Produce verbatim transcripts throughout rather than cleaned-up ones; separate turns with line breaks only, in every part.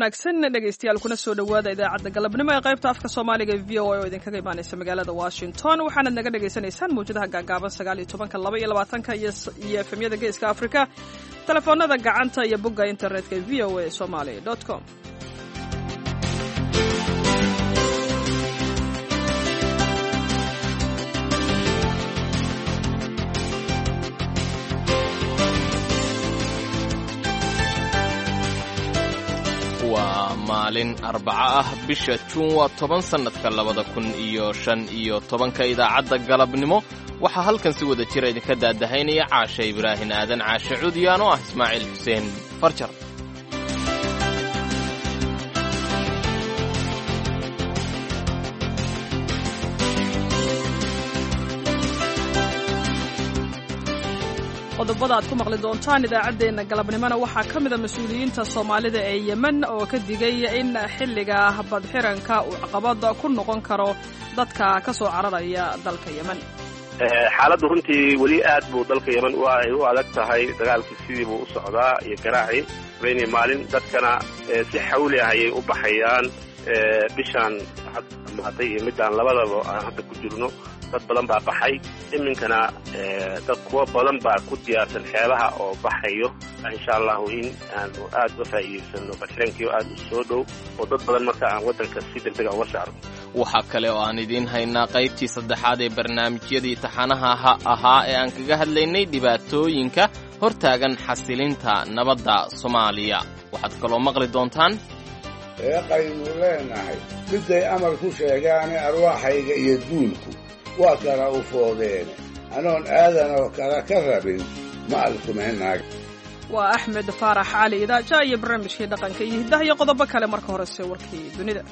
Wanaagsan dhegaystayaal, kuna soo dhowaada idaacadda galabnimo ee qaybta afka Soomaaliga ee V O A oo idinkaga imaanaysa magaalada Washington. Waxaanad naga dhagaysanaysaan mawjadaha gaagaaban sagaal iyo tobanka, laba iyo labaatanka iyo F M-yada Geeska Afrika, telefoonada gacanta iyo bogga internetka ee V O A Somali com.
Waa maalin Arbaco ah, bisha Juun waa toban, sannadka labada kun iyo shan iyo tobanka. Idaacadda galabnimo waxaa halkan si wada jira idinka daadahaynaya Caashe Ibraahin Aadan, Caashe Cuudiyaan, oo ah Ismaaciil Xuseen Farjar.
Qodobada aad ku maqli doontaan idaacaddeenna galabnimona waxaa ka mida mas-uuliyiinta Soomaalida ee Yemen oo ka digay in xilliga badxiranka uu caqabad ku noqon karo dadka ka soo cararaya dalka Yemen.
Xaaladdu runtii weli aad buu dalka Yemen ay u adag tahay. Dagaalkii sidii buu u socdaa iyo garaacii habeenii maalin, dadkana si xawli ah ayay u baxayaan. Bishaan hadda dhamaatay iyo midaan labadaba aan hadda ku jirno dad badan baa baxay. Iminkana dad kuwo badan baa ku diyaarsan xeebaha oo baxayo. Insha Allahu in aanu aada uga faa'iidaysano badxirankii oo aada u soo dhow oo dad badan marka aan waddanka si degdega uga saarno.
Waxaa kale oo aan idiin haynaa qaybtii saddexaad ee barnaamijyadii taxanaha ahaa ee aan kaga hadlaynay dhibaatooyinka hortaagan xasilinta nabadda Soomaaliya. Waxaad kaloo maqli doontaan:
Eeqaynu leenahay miday amar ku sheegaane, arwaaxayga iyo duulku waa kala u foodeene, anoon aadanoo kala ka rabin ma alkumenaag.
Waa Axmed Faarax Cali Idaaja iyo barnaamijkii dhaqanka iyo hiddaha iyo qodobo kale. Marka horese warkii dunida.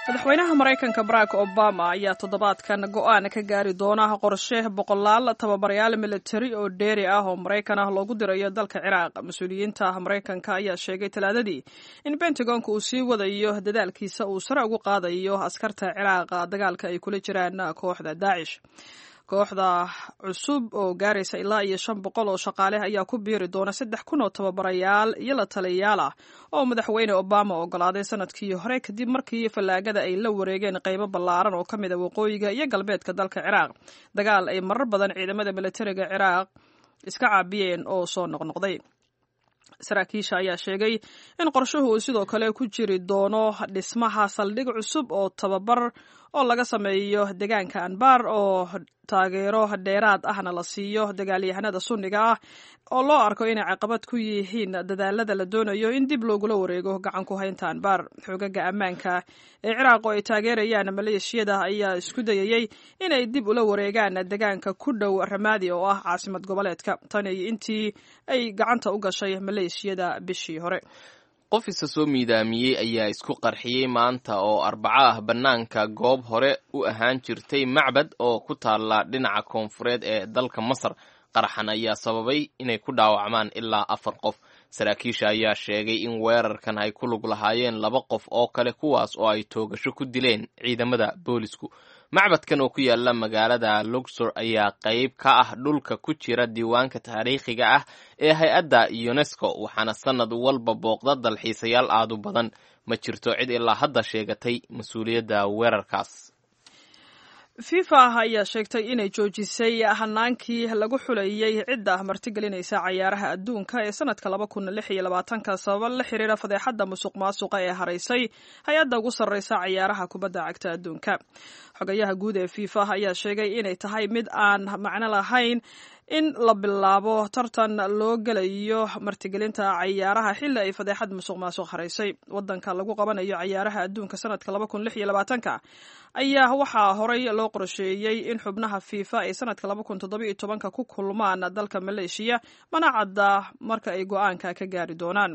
Madaxweynaha Maraykanka Barack Obama ayaa toddobaadkan go'aan ka gaari doona qorshe boqolaal tababarayaal militari oo dheeri ah oo Maraykan ah loogu dirayo dalka Ciraaq. Mas-uuliyiinta Maraykanka ayaa sheegay Talaadadii in Pentagonka uu sii wadayo dadaalkiisa uu sare ugu qaadayo askarta Ciraaq dagaalka ay kula jiraan kooxda Daacish. Kooxda cusub oo gaaraysa ilaa iyo shan boqol oo shaqaale ayaa ku biiri doona saddex kun oo tababarayaal iyo la taliyayaal ah oo madaxweyne Obama ogolaaday sanadkii hore, kadib markii fallaagada ay la wareegeen qaybo ballaaran oo ka mid a waqooyiga iyo galbeedka dalka Ciraaq, dagaal ay marar badan ciidamada militariga Ciraaq iska caabiyeen oo soo noqnoqday. Saraakiisha ayaa sheegay in qorshuhu uu sidoo kale ku jiri doono dhismaha saldhig cusub oo tababar oo laga sameeyo deegaanka Anbar, oo taageero dheeraad ahna la siiyo dagaalyahanada Sunniga ah oo loo arko inay caqabad ku yihiin dadaalada la doonayo in dib loogula wareego gacan ku haynta Anbar. Xoogaga ammaanka ee Ciraaq oo ay taageerayaan maleeshiyada ayaa isku dayayey inay dib ula wareegaan deegaanka ku dhow Ramaadi oo ah caasimad goboleedka, tan iyo intii ay gacanta u gashay maleeshiyada bishii hore.
Qof isa soo miidaamiyey ayaa isku qarxiyey maanta oo Arbaco ah bannaanka goob hore u ahaan jirtay macbad oo ku taalla dhinaca koonfureed ee dalka Masar. Qaraxan ayaa sababay inay ku dhaawacmaan ilaa afar qof. Saraakiisha ayaa sheegay in weerarkan ay ku lug lahaayeen laba qof oo kale, kuwaas oo ay toogasho ku dileen ciidamada boolisku. Macbadkan oo ku yaala magaalada Luxor ayaa qayb ka ah dhulka ku jira diiwaanka taariikhiga ah ee hay-adda UNESCO, waxaana sanad walba booqda dalxiisayaal aad u badan. Ma jirto cid ilaa hadda sheegatay mas-uuliyadda weerarkaas.
FIFA ayaa sheegtay inay joojisay hanaankii lagu xulayey cidda martigelinaysa cayaaraha adduunka ee sanadka laba kun lix iyo labaatanka sababa la xiriira fadeexadda musuq maasuqa ee haraysay hay-adda ugu sarreysa cayaaraha kubadda cagta adduunka. Xogayaha guud ee FIFA ayaa sheegay inay tahay mid aan macno lahayn in la bilaabo tartan loo gelayo martigelinta cayaaraha xilli ay fadeexad musuq maasuq haraysay. Wadanka lagu qabanayo cayaaraha adduunka sanadka laba kun lix iyo labaatanka ayaa waxaa horey loo qorsheeyey in xubnaha FIFA ay sanadka laba kun toddoba iyo tobanka ku kulmaan dalka Maleeshiya, mana cadda marka ay go-aanka ka gaari doonaan.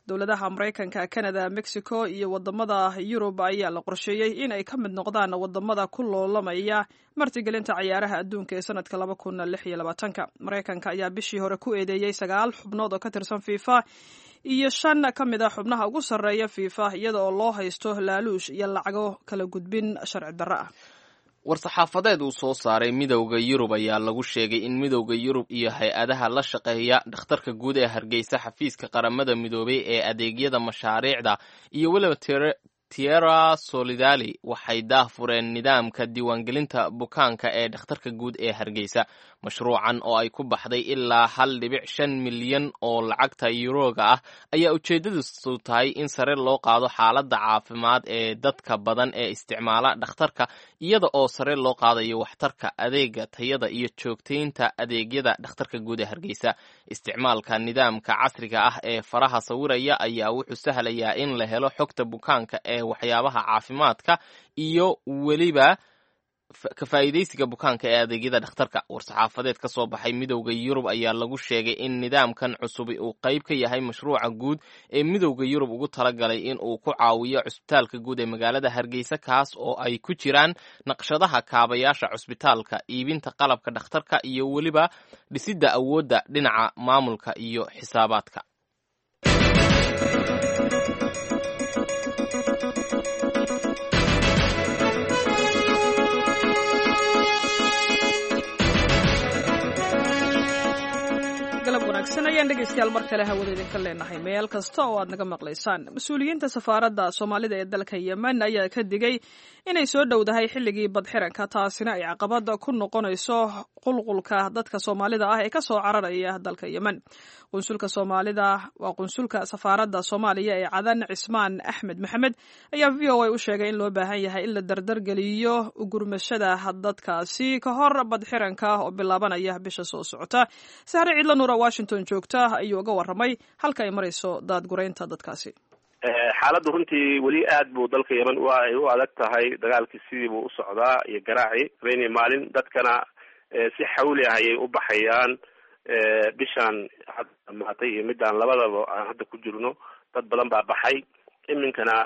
Dowladaha Maraykanka, Canada, Mexico iyo wadamada Yurub ayaa la qorsheeyey in ay ka mid noqdaan wadamada ku loolamaya martigelinta cayaaraha adduunka ee sanadka laba kun lix iyo labaatanka. Maraykanka ayaa bishii hore ku eedeeyey sagaal xubnood oo ka tirsan FIFA iyo shan ka mid a xubnaha ugu sarreeya FIFA, iyada oo loo haysto laaluush iyo lacago kala gudbin sharci darro ah.
War-saxaafadeed uu soo saaray Midowda Yurub ayaa lagu sheegay in Midowda Yurub iyo hay-adaha la shaqeeya dhakhtarka guud ee Hargeysa, xafiiska Qaramada Midoobay ee adeegyada mashaariicda iyo weliba Tierra Solidali waxay daahfureen nidaamka diiwaangelinta bukaanka ee dhakhtarka guud ee Hargeysa. Mashruucan oo ay ku baxday ilaa hal dhibic shan milyan oo lacagta yuroga ah ayaa ujeedadiisu tahay in sare loo qaado xaaladda caafimaad ee dadka badan ee isticmaala dhakhtarka, iyada oo sare loo qaadayo waxtarka adeega, tayada iyo joogtaynta adeegyada dhakhtarka guud ee Hargeysa. Isticmaalka nidaamka casriga ah ee faraha sawiraya ayaa wuxuu sahlayaa in la helo xogta bukaanka ee waxyaabaha caafimaadka iyo weliba ka faa'iidaysiga bukaanka ee adeegyada dhakhtarka. War-saxaafadeed ka soo baxay Midowda Yurub ayaa lagu sheegay in nidaamkan cusubi uu qayb ka yahay mashruuca guud ee Midowda Yurub ugu talagalay in uu ku caawiyo cusbitaalka guud ee magaalada Hargeysa, kaas oo ay ku jiraan naqshadaha kaabayaasha cusbitaalka, iibinta qalabka dhakhtarka iyo weliba dhisidda awoodda dhinaca maamulka iyo xisaabaadka.
Ayaan dhegeystayaal mar kale hawada idinka leenahay meel kasta oo aad naga maqlaysaan. Mas-uuliyiinta safaaradda Soomaalida ee dalka Yemen ayaa ka digay inay soo dhowdahay xilligii badxiranka, taasina ay caqabada ku noqonayso qulqulka dadka Soomaalida ah ee kasoo cararaya dalka Yemen. Qunsulka Soomaalida waa qunsulka safaaradda Soomaaliya ee Cadan, Cismaan Axmed Maxamed, ayaa V O A u sheegay in loo baahan yahay in la dardargeliyo gurmashada dadkaasi ka hor badxiranka oo bilaabanaya bisha soo socota. Sahre Ciidla Nuura Washington joogta ayuu uga warramay halka ay marayso daadgureynta dadkaasi.
Xaaladdu runtii weli aad buu dalka Yemen ay u adag tahay. Dagaalkii sidii buu u socdaa iyo garaaci habeenii maalin, dadkana si xawli ah ayay u baxayaan. Bishaan hadda dhamaatay iyo midaan labadaba aan hadda ku jirno dad badan baa baxay. Iminkana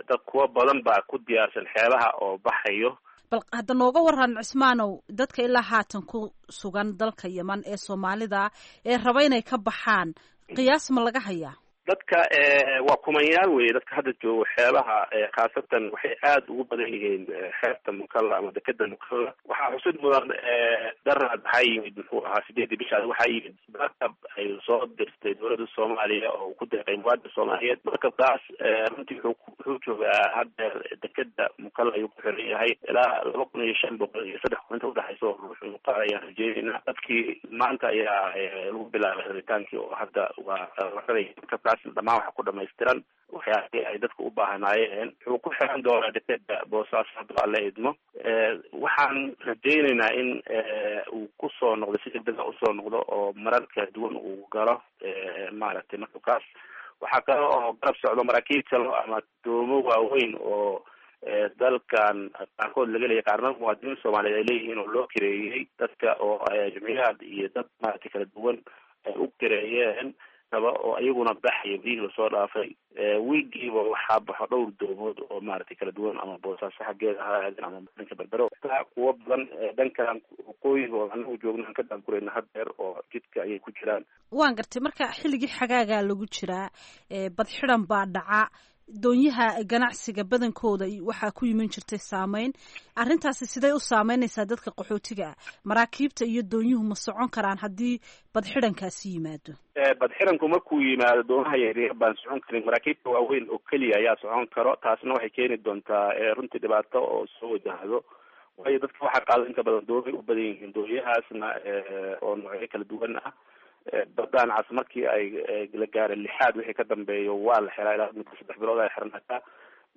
dad kuwa badan baa ku diyaarsan xeebaha oo baxayo.
Bal hadda nooga waran Cismaanow, dadka ilaa haatan ku sugan dalka Yemen ee Soomaalida ee raba inay ka baxaan, qiyaas ma laga hayaa?
Dadka waa kumanyaal weye. Dadka hadda joogo xeebaha khaasatan waxay aada ugu badan yihiin xeebta Mukalla ama dekeda Mukalla. Waxaa xusid mudan daraad waxaa yimid, muxuu ahaa, sideedii bishaas waxaa yimid markab ay soo dirtay dowladda Soomaaliya oo ku deeqay muwaadin Soomaaliyeed. Markabkaas runtii wuxuu wuxuu joogaa haddeer dekeda Mukalla ayuu ku xiran yahay. Ilaa laba kun iyo shan boqol iyo saddex kun inta udhexaysa oo ruux inuu qaadayaan rajeynayna. Dadkii maanta ayaa lagu bilaabay raritaankii oo hadda waa la raraya markabkaas. Dhamaan waxa ku dhamaystiran waxyaabihii ay dadku u baahnaayeen. Wuxuu ku xiran doonaa dekeda Boosaaso hadduu Alle idmo. Waxaan rajaynaynaa in uu kusoo noqdo si degdega usoo noqdo oo marar kala duwan uu galo maaragtay markabkaas. Waxaa kale oo garab socdo maraakiib kale ama doomo waaweyn oo dalkan qaarkood laga leeyay, qaarna muwaadiniin Soomaaliyeed ay leeyihiin oo loo kireeyey dadka oo jumciyaad iyo dad maaragtay kala duwan ay u kireeyeen oo iyaguna baxaya biyihii lasoo dhaafay. Wiigiiba waxaa baxo dhowr doomood oo maaragtay kala duwan, ama Boosaaso xaggeeda ha aadeen ama dhanka Berbero. Kuwo badan dhankan waqooyiga oo anagu joogna aan ka daankurayna haddeer oo jidka ayay ku jiraan.
Waan gartay. Marka xilligii xagaagaa lagu jiraa, badxidan baa dhaca, doonyaha ganacsiga badankooda waxaa ku yiman jirtay saameyn. Arrintaasi siday u saameynaysaa dadka qaxootiga ah? Maraakiibta iyo doonyuhu ma socon karaan haddii badxidankaasi yimaado?
Badxidanku markuu yimaado doomaha yaryar baan socon karin, maraakiibta waaweyn oo keliya ayaa socon karo. Taasna waxay keeni doontaa runtii dhibaato oo soo wajahdo, waayo dadka waxaa qaado inta badan doomay u badan yihiin, doonyahaasna oo noocyo kala duwan ah. Badaan cas markii ay la gaara lixaad wixii ka dambeeyo waa la xiraa, ilaa muddo saddex bilood ay xirnaataa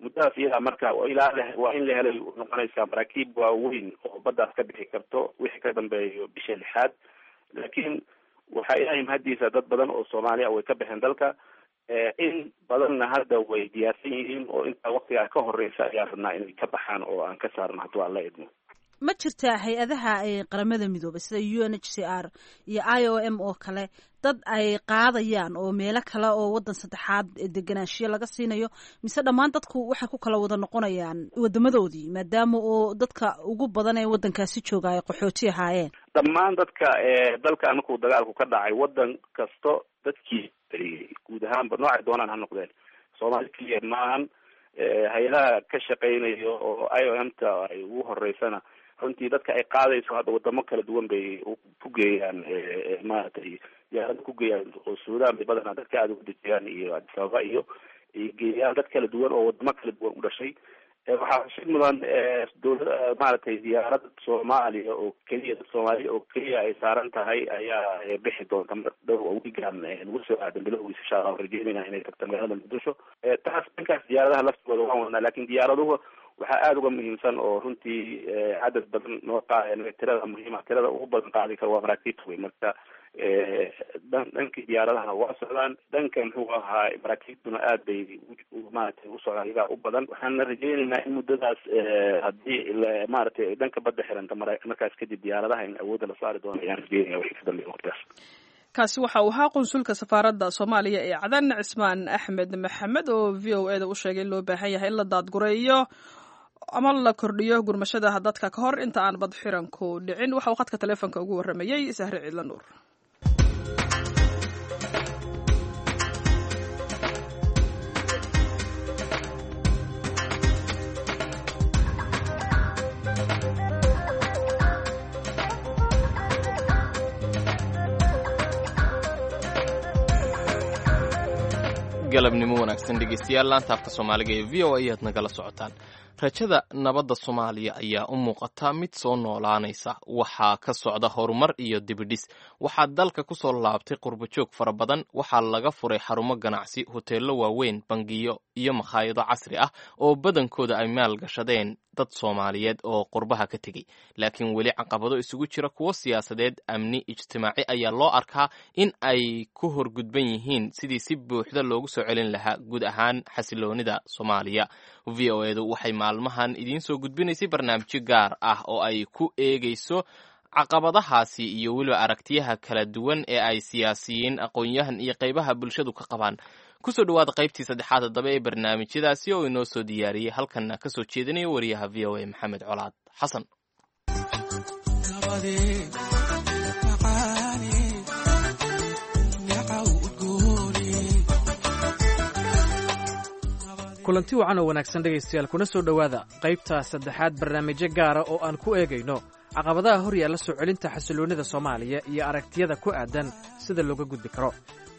muddadaas iyadaa. Marka ilaa waa in la helay noqonaysaa maraakiib waaweyn oo baddaas ka bixi karto wixii ka dambeeyo bisha lixaad. Laakiin waxaa Ilaahay mahadiisa dad badan oo Soomaaliya way ka baxeen dalka, in badanna hadda way diyaarsan yihiin oo intaa waktigaa ka horeysa ayaan rabnaa inay ka baxaan oo aan ka saarno hadduu Alla idmo.
Ma jirtaa hay-adaha Qaramada Midoobay sida U N H C R iyo I O M oo kale dad ay qaadayaan oo meelo kale oo waddan saddexaad deganaanshiyo laga siinayo, mise dhammaan dadku waxay ku kala wada noqonayaan wadamadoodii, maadaama oo dadka ugu badan ee waddankaasi jooga ay qaxooti ahaayeen?
Dhammaan dadka dalka markuu dagaalku ka dhacay waddan kasto dadkii guud ahaanba noocay doonaan ha noqdeen, Soomaali keliya maahan. Hay-adaha ka shaqeynayo oo I O M ta ay ugu horeysana runtii dadka ay qaadayso hadda wadamo kala duwan bay ku geeyaan, maaragtay diyaarada ku geeyaan oo Suudaan bay badanaa dadka aada ugu dejiyaan iyo Addis Ababa iyo ay geeyaan dad kala duwan oo wadamo kala duwan u dhashay. Waxaa xusid mudan dowlad maaragtay diyaarad Soomaaliya oo keliya, dad Soomaaliya oo keliya ay saaran tahay ayaa bixi doonta mar dhow oo wiigan lagu soo aadan bilowgiisa, insha Allah rajeynayna inay tagto magaalada Muqdisho. Taas dhankaas diyaaradaha laftigooda waan wadnaa, laakiin diyaaraduhu waxaa aada uga muhiimsan oo runtii cadad badan noo qaa tirada muhiima, tirada ugu badan qaadi kara waa maraakiibta wey. Marka dhan dhankii diyaaradahana waa socdaan, dhanka muxuu ahaa maraakiibtuna aad bay maaragtay u socdaan, iyagaa u badan. Waxaana rajeynaynaa in muddadaas haddii maaragtay dhanka badda xiranta markaas kadib diyaaradaha in awoodda la saari doono ayaan rajeynaya wixii ka dambeeya waqtigaas.
Kaasi waxa uu ahaa qunsulka safaaradda Soomaaliya ee Cadan, Cismaan Axmed Maxamed, oo V O E da u sheegay in loo baahan yahay in la daadgureeyo ama la kordhiyo gurmashada dadka ka hor inta aan bad xiranku dhicin. Waxa uu khadka taleefonka ugu warramayey Sahre Ciidla Nuur.
Galabnimo wanaagsan dhegeystayaal, laanta afka Soomaaliga ee V O A ayaad nagala socotaan. Rajada nabadda Soomaaliya ayaa u muuqata mid soo noolaanaysa. Waxaa ka socda horumar iyo dibidhis. Waxaa dalka ku soo laabtay qurbajoog fara badan. Waxaa laga furay xarumo ganacsi, hoteello waaweyn, bangiyo iyo makhaayado casri ah oo badankooda ay maal gashadeen dad Soomaaliyeed oo qurbaha ka tegey. Laakiin weli caqabado isugu jira kuwo siyaasadeed, amni, ijtimaaci ayaa loo arkaa in ay ku horgudban yihiin sidii si buuxda loogu soo celin lahaa guud ahaan xasiloonida Soomaaliya. V O edu waxay maalmahan idiin soo gudbinaysay barnaamijyo gaar ah oo ay ku eegayso caqabadahaasi iyo weliba aragtiyaha kala duwan ee ay siyaasiyiin, aqoon-yahan iyo qaybaha bulshadu ka qabaan. Kusoo dhawaada qaybtii saddexaad haddaba ee barnaamijyadaasi oo inoo soo diyaariyey halkanna ka soo jeedinaya wariyaha V O A Maxamed Colaad Xasan.
Kulanti wacan oo wanaagsan dhegaystayaal, kuna soo dhowaada qaybta saddexaad barnaamijyo gaara oo aan ku eegayno caqabadaha hor yaalla soo celinta xasilloonnida Soomaaliya iyo aragtiyada ku aadan sida looga gudbi karo.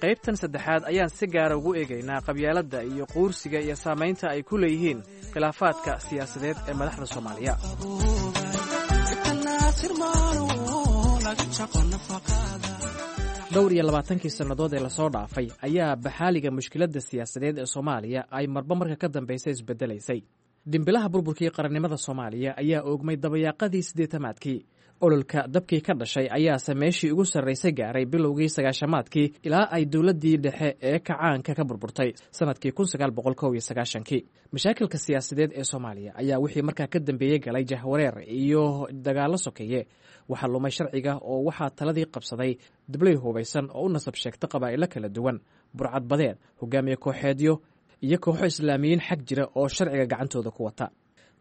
Qaybtan saddexaad ayaan si gaara ugu eegaynaa qabyaaladda iyo quursiga iyo saamaynta ay ku leeyihiin khilaafaadka siyaasadeed ee madaxda Soomaaliya. Dhowr iyo labaatankii sannadood ee lasoo dhaafay ayaa baxaaliga mushkiladda siyaasadeed ee Soomaaliya ay marba marka ka dambaysa isbeddelaysay. Dhimbilaha burburkii qarannimada Soomaaliya ayaa oogmay dabayaaqadii siddeetamaadkii. Ololka dabkii ka dhashay ayaase meeshii ugu sarraysay gaaray bilowgii sagaashamaadkii ilaa ay dowladdii dhexe ee kacaanka ka burburtay sannadkii kun sagaal boqol kow iyo sagaashankii. Mashaakilka siyaasadeed ee Soomaaliya ayaa wixii markaa ka dambeeyey galay jahwareer iyo dagaallo sokeeye. Waxaa lumay sharciga oo waxaa taladii qabsaday dabley hubaysan oo u nasab sheegta qabaa'ilo kala duwan, burcadbadeed, hogaamiye kooxeedyo iyo kooxo islaamiyiin xag jira oo sharciga gacantooda ku wata.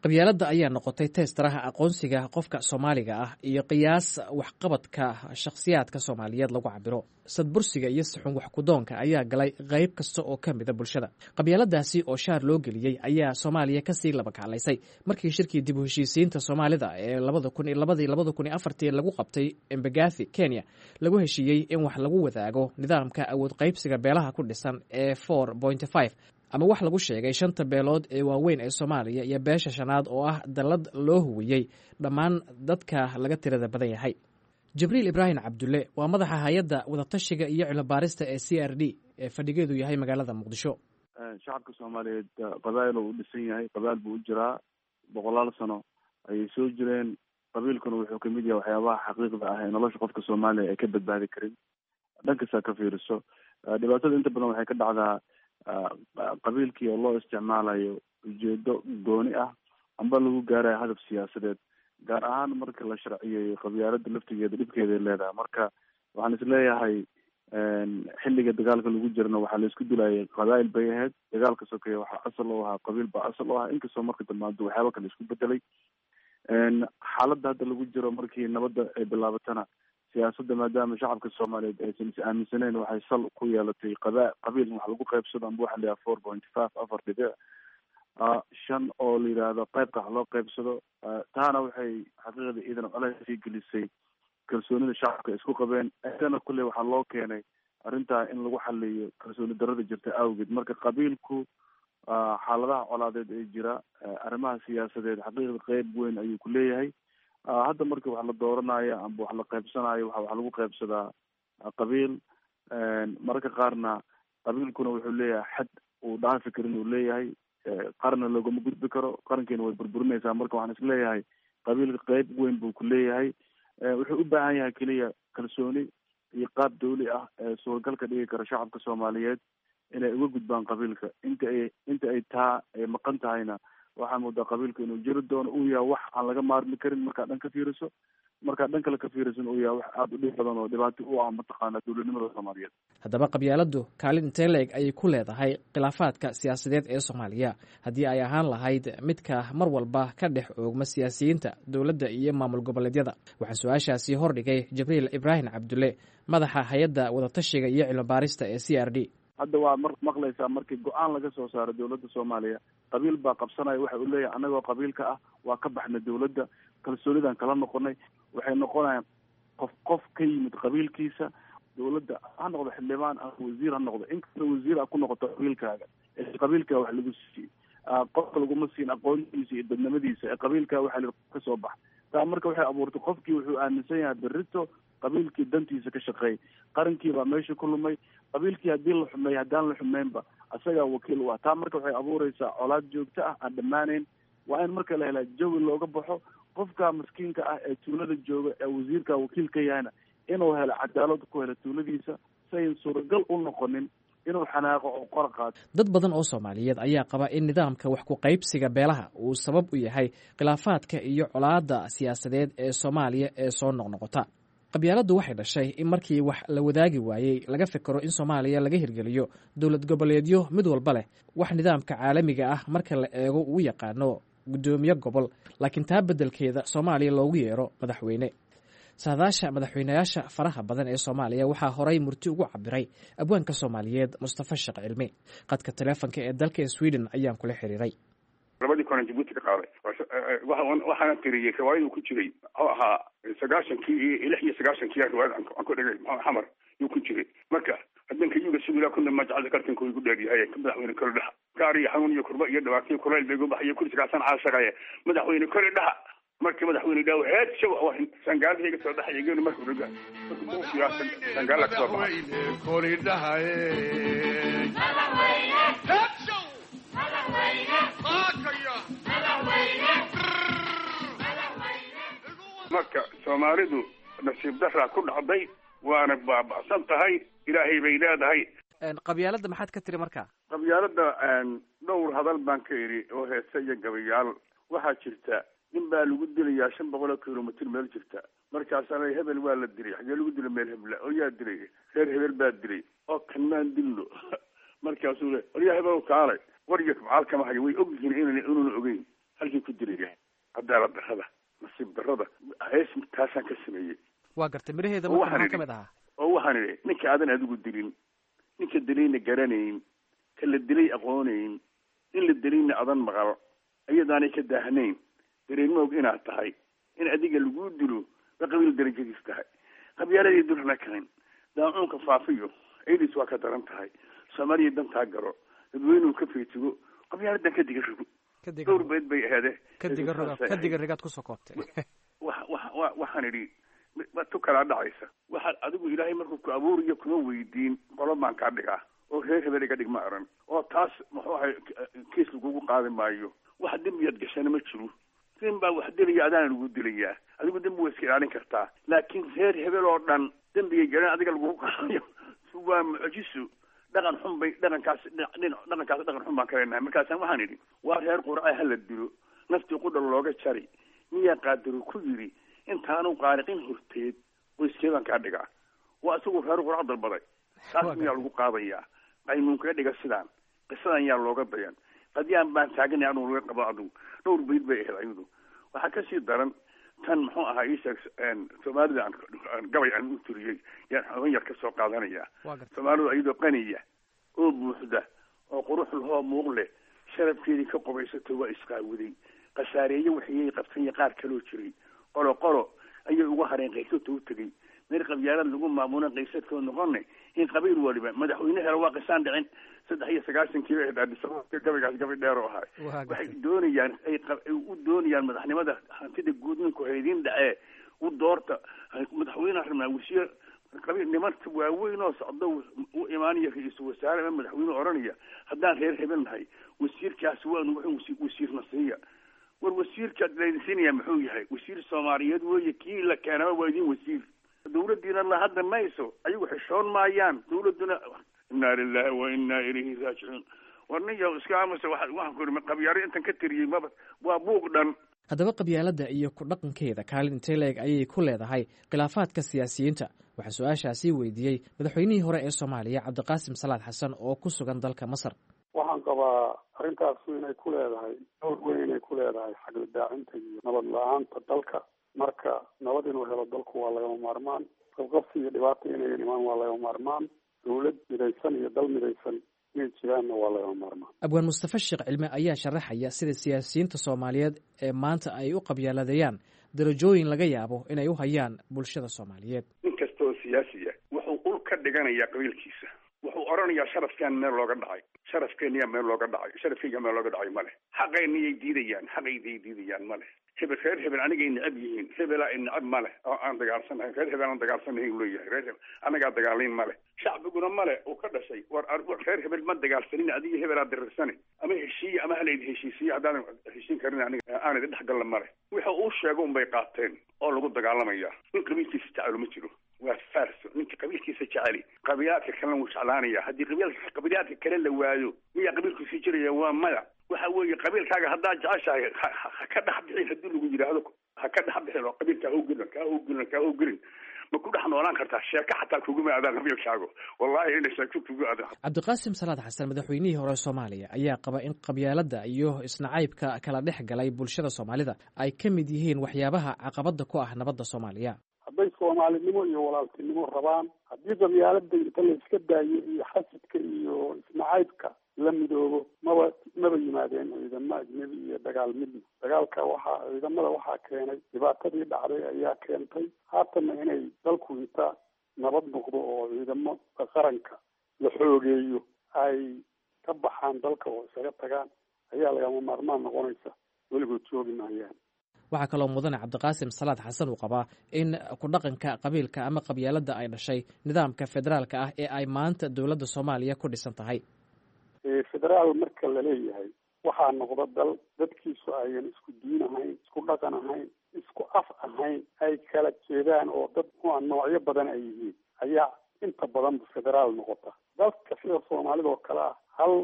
Qabyaaladda ayaa noqotay teestaraha aqoonsiga qofka Soomaaliga ah iyo qiyaas waxqabadka shakhsiyaadka Soomaaliyeed lagu cabiro. Sadbursiga iyo sixun waxkudoonka ayaa galay qayb kasta oo ka mida bulshada. Qabyaaladaasi oo shaar loo geliyey ayaa Soomaaliya kasii labakaclaysay markii shirkii dib u heshiisiinta Soomaalida ee labada kun iyo labadii labada kun iyo afartii lagu qabtay Embagathi, Kenya, lagu heshiiyey in wax lagu wadaago nidaamka awood qaybsiga beelaha ku dhisan ee four point five, ama wax lagu sheegay shanta beelood ee waaweyn ee Soomaaliya iyo beesha shanaad oo ah dallad loo huwiyey dhammaan dadka laga tirada badan yahay. Jibriil Ibraahim Cabdulle waa madaxa hay-adda wadatashiga iyo cilmibaarista ee C R D ee fadhigeedu yahay magaalada Muqdisho.
Shacabka Soomaaliyeed qabaa'il oo u dhisan yahay, qabaa'il buu u jiraa, boqolaal sano ayay soo jireen. Qabiilkuna wuxuu kamid yahay waxyaabaha xaqiiqda ah ee nolosha qofka Soomaaliya ay ka badbaadi karin. Dhankasta ka fiiriso, dhibaatada inta badan waxay ka dhacdaa qabiilkii oo loo isticmaalayo ujeedo gooni ah amba lagu gaarayo hadaf siyaasadeed, gaar ahaan marka la sharciyeeyo qabyaalada laftigeeda dhibkeeday leedahay. Marka waxaan isleeyahay xilliga dagaalka lagu jirana waxaa la isku dilayay qabaa'il bay ahayd. Dagaalka sokeeye waxaa asal u ahaa qabiil baa asal u ahaa, inkastoo marka dambe waxyaaba kale isku bedelay. Xaaladda hadda lagu jiro markii nabadda ay bilaabatana siyaasadda maadaama shacabka Soomaaliyeed aysan is aaminsaneyn waxay sal ku yeelatay qaba qabiil in wax lagu qaybsado amba waxa la yidhaha four point five, afar dhibic. Shan oo la yidhaahdo qaybka wax loo qaybsado. Taana waxay xaqiiqda iidan colays sii gelisay kalsoonida shacabka isku qabeen. Ayadana kulley waxaa loo keenay arrintaa in lagu xaliyo kalsooni darada jirta awgeed. Marka qabiilku xaaladaha colaadeed ee jira, arrimaha siyaasadeed, xaqiiqda qeyb weyn ayuu ku leeyahay. Hadda marka wax la dooranayo amba wax la qaybsanayo, waxa wax lagu qaybsadaa qabiil. Mararka qaarna qabiilkuna wuxuu leeyahay xad uu dhaafi karin uu leeyahay, qarna loogama gudbi karo, qarankiina way burburinaysaa. Marka waxaan isleeyahay qabiilka qeyb weyn buu ku leeyahay. Wuxuu u baahan yahay keliya kalsooni iyo qaab dawli ah ee suuragal ka dhigi kara shacabka Soomaaliyeed inay uga gudbaan qabiilka. Inta ay inta ay taa ay maqan tahayna, waxaa moodaa qabiilka inuu jiri doono, uu yahay wax aan laga maarmi karin markaad dhan ka fiiriso, markaad dhan kale ka fiirisan uu yahay wax aada u dhib badan oo dhibaato u ah mataqaana dowladnimada Soomaaliyeed.
Haddaba qabyaaladdu kaalin intee la-eg ayay ku leedahay khilaafaadka siyaasadeed ee Soomaaliya, haddii ay ahaan lahayd midka mar walba ka dhex oogma siyaasiyiinta, dowladda iyo maamul goboleedyada? Waxaa su-aashaasi hordhigay Jibriil Ibraahim Cabdulle, madaxa hay-adda wadatashiga iyo cilmibaarista ee C R D.
Hadda waa mar maqlaysaa markii go-aan laga soo saaro dowladda Soomaaliya, qabiil baa qabsanaya. Waxa uu leeyahay annagoo qabiilka ah waa ka baxnay dowladda, kalsoonidan kala noqonay. Waxay noqonayaan qof qof ka yimid qabiilkiisa dowladda, ha noqdo xildhibaan ama wasiir ha noqdo. Inkasta wasiir a ku noqoto qabiilkaaga, qabiilkaa wax lagu siiyey, qofka laguma siin aqoontiisa iyo dadnimadiisa, ee qabiilkaa waxaa la ka soo bax. Taa marka waxay abuurtay qofkii wuxuu aaminsan yahay berrito qabiilkii dantiisa ka shaqeey, qarankii baa meesha ku lumay. Qabiilkii haddii la xumeey, haddaan la xumeynba, isagaa wakiil u ah. Taa marka waxay abuureysaa colaad joogto ah aan dhammaanayn. Waa in marka la helaa jawi looga baxo, qofka maskiinka ah ee tuulada jooga ee wasiirka wakiil ka yahayna inuu helo cadaalad ku helo tuuladiisa, si ayn suuragal u noqonin inuu xanaaqo oo qora qaato.
Dad badan oo Soomaaliyeed ayaa qaba in nidaamka wax ku qaybsiga beelaha uu sabab u yahay khilaafaadka iyo colaadda siyaasadeed ee Soomaaliya ee soo noqnoqota. Qabyaaladdu waxay dhashay in markii wax la wadaagi waayey laga fikero in Soomaaliya laga hirgeliyo dowlad goboleedyo mid walba leh wax nidaamka caalamiga ah marka la eego uu yaqaano guddoomiye gobol, laakiin taa beddelkeeda Soomaaliya loogu yeero madaxweyne. Saadaasha madaxweynayaasha faraha badan ee Soomaaliya waxaa horay murti ugu cabiray abwaanka Soomaaliyeed Mustafa Sheekh Cilmi. Qadka taleefonka ee dalka Sweden ayaan kula xiriiray.
Labadii kunan Jabuuti ka qaaday waxaana tiriyey riwaayaduu ku jiray, muxuu ahaa, sagaashankii iyo lix iyo sagaashankii riwaayad aan ku dhigay Xamar yuu ku jiray. Marka haddanka yuga sugilaa kuna majcalka kartanku igu dheeryahay, madaxweyne kole dhaha, gaar iyo xanuun iyo kurba iyo dhibaataiyo kulayl bay igu baxayo, kursigaasan caashaqaya, madaxweyne kole dhaha. Markii madaxweyne dhaw heed shaw sangaalada iga soo dhaxaya geelu markuu dhaga markuu sangaala ka soo baxay
kori dhahaye.
Marka Soomaalidu nasiib daraa ku dhacday, waana baaba'san tahay, Ilaahay bay leedahay.
Qabyaaladda maxaad ka tiri marka?
Qabyaaladda dhowr hadal baan ka idhi oo heese iyo gabayaal. Waxaa jirta nin baa lagu dilayaa shan boqol oo kilomitr meel jirta. Markaasaana hebel waa la dilay. Xagee lagu dilay? Meel hebla. Oo yaa dilay? Reer hebel baa dilay. Oo kan maan dilno? Markaasuu le oryaa hebel kaalay, waryo kabcaal kama hayo. Way og yihiin inan inuuna ogeyn halkii ku dilaya. Cadaalad darrada, nasiib darrada, hees taasaan ka sameeyey.
Waa gartay. Miraheeda marka maxaa kamid ahaa?
Oo waxaan idhi: ninka aadan adigu dilin, ninka dilayna garanayn, ka la dilay aqoonayn, in la dilayna adan maqal, iyadaanay ka daahnayn, dareenmoog inaad tahay in adiga laguu dilo ba qabiil darajadiis tahay. Qabyaaladii durna karin daacuunka faafiyo ciidiis waa ka daran tahay. Soomaaliya dantaa garo, dadweynuhu ka feejigo, qabyaaladan ka diga rogo. Dhowr beed bay aheede.
Ka diga rigaad kusoo koobtay.
Wa wa waxaan idhi tu kalaa dhacaysa. Waxaad adigu Ilaahay markuu ku abuuriyo kuma weydiin qolo baan kaa dhigaa oo reer hebel iga dhig ma aran, oo taas muxuu ahay kiis lagugu qaadi maayo. Wax dembiyaad gashana ma jiro. Nin baa wax dilaya, adaana lagu dilayaa. Adigu dembi waa iska ilaalin kartaa, laakiin reer hebel oo dhan dembigay galeen adiga lagugu qaadayo waa mucjiso. Dhaqan xun bay dhaqankaas dhaqankaas dhaqan xun baan ka leenahay. Markaasaan waxaan idhi: waa reer qurca hala dilo, naftii qudha looga jari, miyaa qaadiru ku yidhi intaanu qaariqin horteed qoyskee baan kaa dhigaa? Waa isagu reer qurca dalbaday, taas miyaa lagu qaadayaa? Qaynuun kaga dhiga sidaan qisadan yaa looga dayan? Qadyaan baan taaganay anugu laga qabo. Adugu dhowr bayd bay ahayd ayadu. Waxaa kasii daran tan muxuu ahaa iisheeg Soomaalida aan gabay aan u turiyey yaan xoogan yar ka soo qaadanaya. Soomaalidu iyadoo qaniya oo buuxda oo qurux lahoo muuq leh, Sharafkeedii ka qubaysato waa isqaawiday, khasaareeye waxiyay qabtay iyo qaar kaloo jiray. Qolo qolo ayay ugu hareen qaysata u tegey meel qabyaalad lagu maamulo qaysadkoo noqone in qabiil waliba madaxweyne helo waa qisaan dhicin. Saddex iyo sagaashankii bay ahayd Addis Ababa, gabaygaas gabay dheer oo ahay. Waxay doonayaan ay u doonayaan madaxnimada hantida guud ninku haydiin dhacee u doorta madaxweyneha rabnaa wasiir qabiil nimanka waaweyn oo socda u imaanaya ra-iisul wasaare ama madaxweyne odhanaya haddaan reer hebel nahay wasiirkaas waanu wuxuu wasiirna siiya. War wasiirkaad laydin siinaya muxuu yahay? Wasiir Soomaaliyeed weeye, kii la keenaba waa idin wasiir. Dawladdiina la hadli mayso, ayagu xishoon maayaan dawladduna. Inna lillahi wa inna ilayhi raajicuun. War ninka iska aamusa, waxaan ku iri qabyaaro intan ka tiriyey maba waa buuq dhan.
Haddaba qabyaaladda iyo ku dhaqankeeda kaalin intee leeg ayay ku leedahay khilaafaadka siyaasiyiinta? Waxaa su-aashaasi weydiiyey madaxweynihii hore ee Soomaaliya Cabdiqaasim Salaad Xasan oo ku sugan dalka Masar.
Waxaan qabaa arrintaasu inay ku leedahay door weyn, inay ku leedahay xagla daacinta iyo nabad la-aanta dalka. Marka nabad inuu helo dalku waa lagama maarmaan, qabqabsi iyo dhibaata inayan imaan waa lagama maarmaan, dawlad midaysan iyo dal midaysan inay jiraanna waa lagama maarmaan.
Abwaan Mustafa Sheekh Cilme ayaa sharaxaya sida siyaasiyiinta Soomaaliyeed ee maanta ay u qabyaaladeeyaan darajooyin laga yaabo inay u hayaan bulshada Soomaaliyeed.
Nin kasta oo siyaasiya wuxuu ul ka dhiganayaa qabiilkiisa, wuxuu odhanayaa sharafkaan meel looga dhacay, sharafkeeniyaa meel looga dhacay, sharafkeyga meel looga dhacay male, xaqeeniyay diidayaan, xaqayday diidayaan male, hebel reer hebel anigay necab yihiin, hebelaa i necab male oo aan dagaalsanahay, reer hebel aan dagaalsanahay leeyahay, reer hebel anagaa dagaalayn male, shacbiguna male uu ka dhashay. War reer hebel ma dagaalsanin, adiga hebelaa dirirsane, ama heshiiya ama halayd heshiisiyo, haddaanan heshiin karin aniga aan idin dhexgalla male. Waxa uu sheego unbay qaateen oo lagu dagaalamaya. Nin qabiilkiisa jecelo ma jiro, waa farso. Ninka qabiilkiisa jeceli qabiilaadka kalena wuu jeclaanaya. Haddii qabiilka qabiilaadka kale la waayo miyaa qabiilkiisi jiraya? Waa maya. Waxa weeye qabiilkaaga haddaad jeceshahay ha ka dhex bixin. Haddii lagu yidhaahdo ha ka dhex bixin oo qabiilka ha ugelin, kaa ugelin, kaa ugelin, ma ku dhex noolaan kartaa? Sheeko xataa kuguma aadaan qabiilkaagu, wallahi ina sheeko kugu aadaan.
Cabdiqaasim Salaad Xasan, madaxweynihii hore Soomaaliya, ayaa qaba in qabyaaladda iyo isnacaybka kala dhex galay bulshada Soomaalida ay ka mid yihiin waxyaabaha caqabadda ku ah nabadda Soomaaliya.
Hadday soomaalinimo iyo walaaltinimo rabaan, haddii qabyaaladda inta la iska daayo iyo xasidka iyo isnacaybka la midoobo, maba maba yimaadeen ciidamo ajnebi iyo dagaal midna. Dagaalka waxaa ciidamada waxaa keenay dhibaatadii dhacday ayaa keentay. Haatanna inay dalku inta nabad noqdo oo ciidamo qaranka la xoogeeyo ay ka baxaan dalka oo isaga tagaan ayaa lagama maarmaan noqonaysa, weligood joogi maayaan.
Waxaa kaloo mudane Cabdiqaasim Salaad Xasan uu qabaa in ku dhaqanka qabiilka ama qabyaaladda ay dhashay nidaamka federaalka ah ee ay maanta dowladda Soomaaliya ku dhisan tahay.
Federaal marka la leeyahay waxaa noqda dal dadkiisu ayan isku diin ahayn, isku dhaqan ahayn, isku af ahayn, ay kala jeedaan oo dad muxua noocyo badan ay yihiin ayaa inta badanba federaal noqota. Dalka sida Soomaalida oo kale ah, hal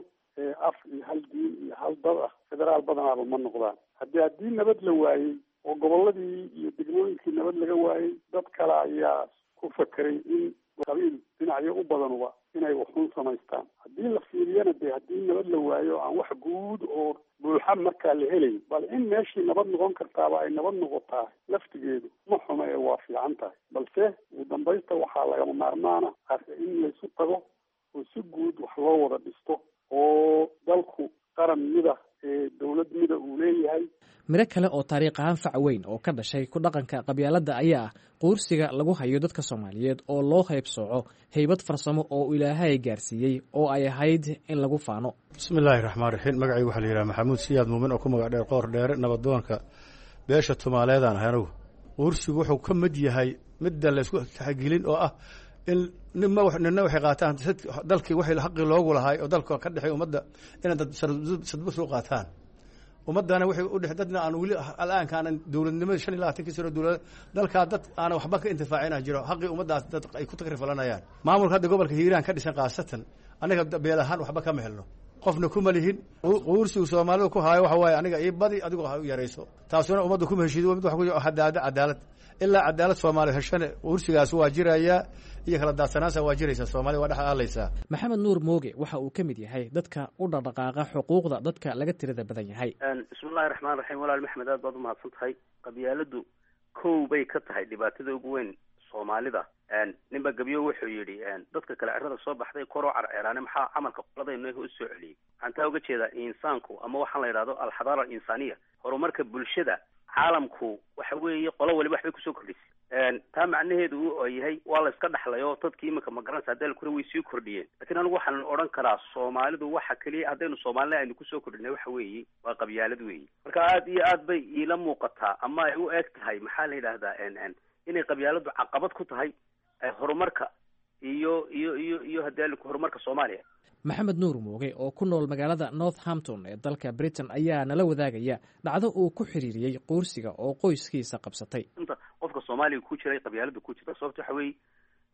af iyo hal diin iyo hal dad ah, federaal badanaaba ma noqdaan. Haddii haddii nabad la waayey oo gobolladii iyo degmooyinkii nabad laga waayey, dad kale ayaa ku fakeray in qabiil dhinacyo u badanuba inay waxuun samaystaan. Haddii la fiiriyana dee haddii nabad la waayo aan wax guud oo buuxa markaa la helayn, bal in meeshii nabad noqon kartaaba ay nabad noqotaa laftigeedu ma xumo ee waa fiican tahay. Balse ugu dambaysta waxaa lagama maarmaana in laysu tago oo si guud wax loo wada dhisto oo dalku qaran mida ee dowlad mida uu leeyahay.
Miro kale oo taariikh ahaan fac weyn oo ka dhashay ku dhaqanka qabyaaladda ayaa ah quursiga lagu hayo dadka Soomaaliyeed oo loo haybsooco haybad farsamo oo Ilaahay gaarsiiyey oo ay ahayd in lagu faano.
Bismi illaahi raxmaan raxiim. Magacaygu waxaa la yidhaha Maxamuud Siyaad Muumin oo ku magac dheer Qoor Dheere, nabadoonka beesha Tumaaleedaan ahay. Anigu quursigu wuxuu ka mid yahay midda laysku taxagelin oo ah in nima nina waxay qaataan dalkii waxay xaqii loogu lahaay oo dalka ka dhexay ummadda inay dad sadbus u qaataan, ummaddana waxay u dhex dadna aan weli al'aanka aanan dowladnimada shan iyo labaatankii sano dowlad dalkaa dad aanan waxba ka intifaacina jiro, xaqii ummaddaas dad ay ku takrifalanayaan. Maamulka hadda gobolka Hiiraan ka dhisan khaasatan aniga beel ahaan waxba kama helno, qofna kuma lihin. Quursigu Soomaalidu ku haayo waxa waaye aniga ii badi, adigu ha u yarayso, taasuna ummadda kuma heshiido. Mid waxa ku hadaada cadaalad, ilaa cadaalad Soomaali heshane quursigaas waa jirayaa iyo kala daadsanaansa waa jiraysaa, Soomaalida waa dhex aalaysaa.
Maxamed Nuur Mooge waxa uu ka mid yahay dadka u dhaqdhaqaaqa xuquuqda dadka laga tirada badan yahay.
Bismillahi raxmaan raxiim. Walaal Maxmed, aad baad umahadsan tahay. Qabyaaladdu kow bay ka tahay dhibaatada ugu weyn Soomaalida ninba gebyo wuxuu yidhi dadka kale cirada soo baxday koroo carceeraane, maxaa camalka qoladaynu u soo celiyey? Waxaan taa uga jeedaa insaanku ama waxaan la yidhahdo alxadaara alinsaaniya, horumarka bulshada caalamku waxa weeye qolo waliba waxbay kusoo kordhisay. Taa macnaheedu uu yahay waa la iska dhaxlay oo dadkii iminka magaranaysa hadee lakura way sii kordhiyeen, lakiin anigu waxaan odhan karaa Soomaalidu waxa keliya haddaynu Soomaalina aynu kusoo kordhinay waxa weeye waa qabyaalad weeye. Marka aad iyo aad bay iila muuqataa ama ay u eg tahay maxaa la yidhahdaa inay qabyaaladu caqabad ku tahay horumarka iyo iyo iyo iyo hadee horumarka Soomaaliya.
Maxamed Nuur Mooge oo ku nool magaalada Northampton ee dalka Britain ayaa nala wadaagaya dhacdo uu ku xiriiriyey quursiga oo qoyskiisa qabsatay.
Inta qofka Soomaaliga ku jiray qabyaaladu ku jirta, sababta waxa weeye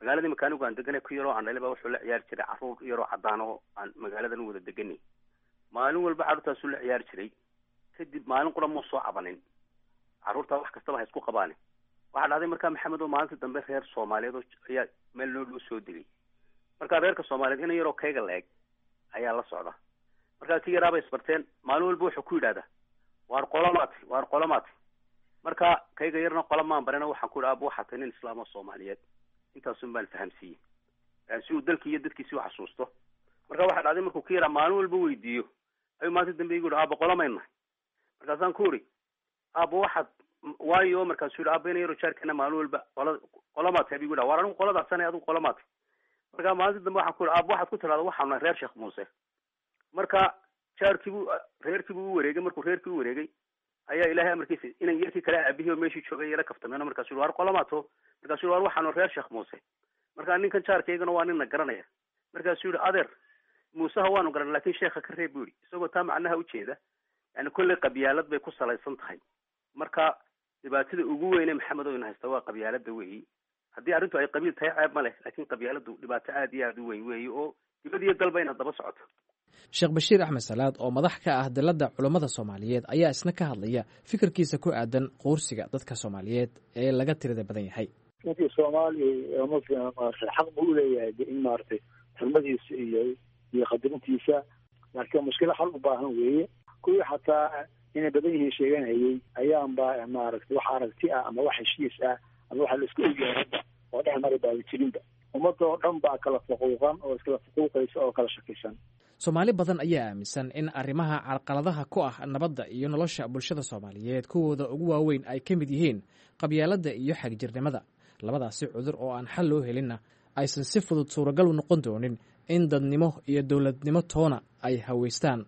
magaalada imika anigu aan deganay ku yaroo aan dhalay baa wuxuu la ciyaari jiray carruur yaroo caddaan oo aan magaaladan u wada deganay. Maalin walba carruurtaasuu la ciyaari jiray, kadib maalin qura muu soo cabanin, carruurtaa wax kastaba ha isku qabaane. Waxaa dhacday markaa Maxamed oo maalinta dambe reer Soomaaliyeed oo ayaa meel noo dhow soo degay. Markaa reerka Soomaaliyeed ina yaroo kayga la-eg ayaa la socda. Markaa kii yaraabay isbarteen, maalin walba wuxuu ku yidhahdaa waar qolamaati, waar qolamaati. Marka kayga yarna qola maan barina, waxaan ku yidhi aaba waxaa tahay nin islaam oo Soomaaliyeed, intaasun baan fahamsiiyey si uu dalkii iyo dadkiisi u xasuusto. Marka waxaa dhacday markuu kii yaraa maalin walba weydiiyo ayuu maalinta dambe igu yidhi aaba qolamayna. Markaasaan ku uri aaba waxaad waayo, markaasuu yidhi aaba ina yaroo jaarkeena maalin walba qola qolamaati abigu yidhaha waar anigu qoladaasana adigu qolamaati. Marka maalinta dambe waxaan ku yidhi aaba waxaad ku tidhahda waxaanu nahay reer Sheekh Muuse. Marka jaarkiibuu reerkiibuu u wareegay, markuu reerkii u wareegay ayaa ilaahay amarkiisa inan yarkii kale aabihii oo meeshii joogay yara kaftameen. Markaasuu yidhi waar qolamaato, markaasuu yidhi waar waxaanu reer Sheekh Muuse. Marka ninkan jaarkaygana waa ninna garanaya. Markaasuu yidhi adeer Muuseha waanu garan laakiin sheekha ka reeb buu yidhi, isagoo taa macnaha ujeeda yani kolley qabyaalad bay ku salaysan tahay. Marka dhibaatada ugu weyne Maxamed oo ina haysta waa qabyaalada weeyi. Haddii arrintu ay qabiil tahay ceeb ma leh, laakiin qabyaaladu dhibaato aad iyo aad u weyn weeyi oo dibad iyo dalba inaad daba socoto.
Sheekh Bashiir Axmed Salaad oo madax ka ah dalladda culammada Soomaaliyeed ayaa isna ka hadlaya fikirkiisa ku aadan quursiga dadka Soomaaliyeed ee laga tirada badan yahay.
Ninkii Soomaali muslim maaragtay xaq buu uleeyahay de in maaragtay xurmadiisa iyo iyo qadarintiisa, laakiin mushkilo xal u baahan weeye. Kuwii xataa inay badan yihiin sheeganayay ayaanba maaragtay wax aragti ah ama wax heshiis ah ama waxa la isku ogyahay hadda oo dhex mari baaba jirinba. Ummadda oo dhan baa kala fuquuqan oo iskala fuquuqaysa oo kala shakisan.
Soomaali badan ayaa aaminsan in arrimaha carqaladaha ku ah nabadda iyo nolosha bulshada Soomaaliyeed kuwooda ugu waaweyn ay ka mid yihiin qabyaaladda iyo xagjirnimada. Labadaasi cudur oo aan xal loo helinna aysan si fudud suuragal u noqon doonin in dadnimo iyo dowladnimo toona ay haweystaan.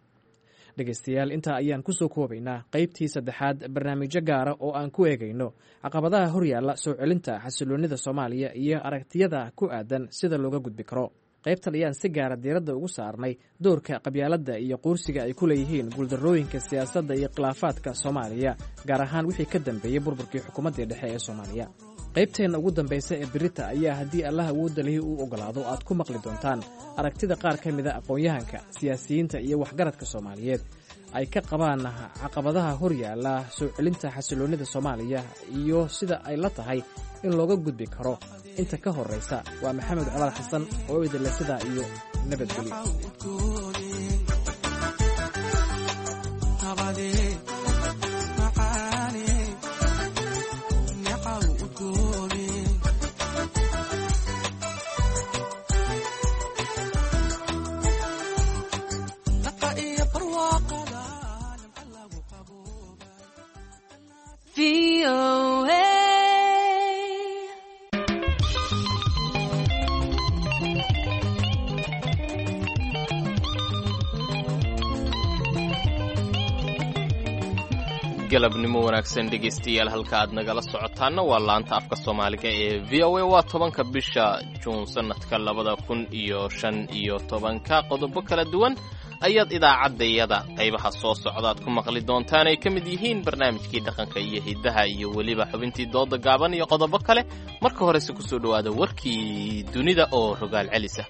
Dhegaystayaal, intaa ayaan ku soo koobaynaa qaybtii saddexaad barnaamijyo gaara oo aan ku eegayno caqabadaha horyaalla soo celinta xasiloonnida Soomaaliya iyo aragtiyada ku aadan sida looga gudbi karo. Qaybtan ayaan si gaara diiradda ugu saarnay doorka qabyaaladda iyo quursiga ay ku leeyihiin guuldarrooyinka siyaasadda iyo khilaafaadka Soomaaliya, gaar ahaan wixii ka dambeeyey burburkii xukuumaddii dhexe ee Soomaaliya. Qaybteenna ugu dambaysa ee berita ayaa haddii Allah awoodda lihi uu oggolaado aad ku maqli doontaan aragtida qaar ka mida aqoon-yahanka, siyaasiyiinta iyo waxgaradka Soomaaliyeed ay ka qabaan caqabadaha hor yaalla soo celinta xasiloonnida Soomaaliya iyo sida ay la tahay in looga gudbi karo. Inta ka horraysa waa Maxamed Colaal Xasan oo idinle sidaa iyo nabadgelyo.
Galabnimo wanaagsan dhegaystayaal, halka aad nagala socotaanna waa laanta afka Soomaaliga ee V O A. Waa tobanka bisha Juun sanadka labada kun iyo shan iyo tobanka. Qodobo kala duwan ayaad idaacaddayada qaybaha soo socdaad ku maqli doontaan, ay ka mid yihiin barnaamijkii dhaqanka iyo hiddaha iyo weliba xubintii dooda gaaban iyo qodobo kale. Marka horese kusoo dhowaada warkii dunida oo rogaal celisa.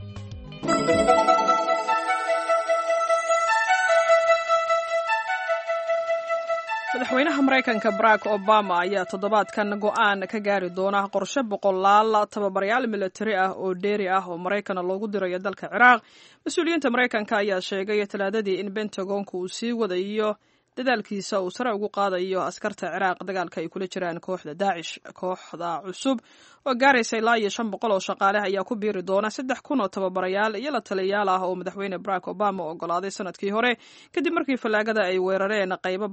Madaxweynaha Maraykanka Barack Obama ayaa toddobaadkan go'aan ka gaari doona qorshe boqolaal tababarayaal militari ah oo dheeri ah oo Maraykana loogu dirayo dalka Ciraaq. Mas-uuliyiinta Maraykanka ayaa sheegay Talaadadii in Bentagonka uu sii wadayo Dadaalkiisa uu sare ugu qaadayo askarta Ciraaq dagaalka ay kula jiraan kooxda Daacish. Kooxda cusub oo gaaraysa ilaa iyo shan boqol oo shaqaale ayaa ku biiri doona saddex kun oo tababarayaal iyo la taliyayaal ah oo madaxweyne Barack Obama ogolaaday sanadkii hore, kadib markii fallaagada ay weerareen qaybo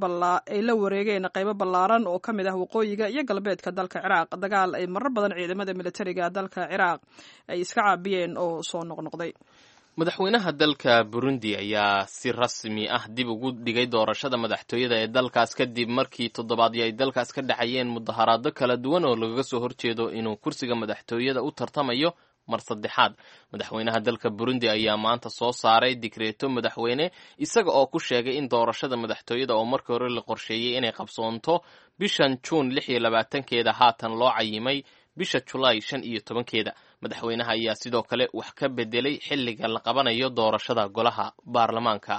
ay la wareegeen qaybo ballaaran oo ka mid ah waqooyiga iyo galbeedka dalka Ciraaq, dagaal ay marar badan ciidamada militariga dalka Ciraaq ay iska caabiyeen oo soo noqnoqday.
Madaxweynaha dalka Burundi ayaa si rasmi ah dib ugu dhigay doorashada madaxtooyada ee dalkaas, kadib markii toddobaadyo ay dalkaas ka dhacayeen mudaharaado kala duwan oo lagaga soo horjeedo inuu kursiga madaxtooyada u tartamayo mar saddexaad. Madaxweynaha dalka Burundi ayaa maanta soo saaray digreeto madaxweyne, isaga oo ku sheegay in doorashada madaxtooyada oo markii hore la qorsheeyey inay qabsoonto bishan Juun lix iyo labaatankeeda haatan loo cayimay bisha Julaay shan iyo tobankeeda. Madaxweynaha ayaa sidoo kale wax ka bedelay xilliga la qabanayo doorashada golaha baarlamaanka.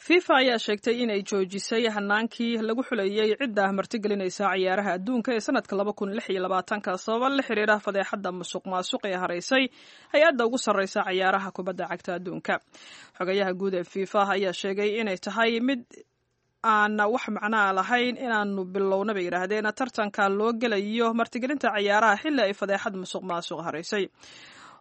FIFA ayaa sheegtay inay joojisay hanaankii lagu xuleeyey cidda martigelinaysa ciyaaraha adduunka ee sanadka laba kun lix iyo labaatanka, sababa la xiriira fadeexadda musuq maasuq ee haraysay hay-adda ugu sarreysa ciyaaraha kubadda cagta adduunka. Xogayaha guud ee FIFA ayaa sheegay inay tahay mid aan wax macnaa lahayn inaanu bilowna, bay yidhaahdeen, tartanka loo gelayo martigelinta ciyaaraha xilli ay fadeexad musuq maasuq haraysay.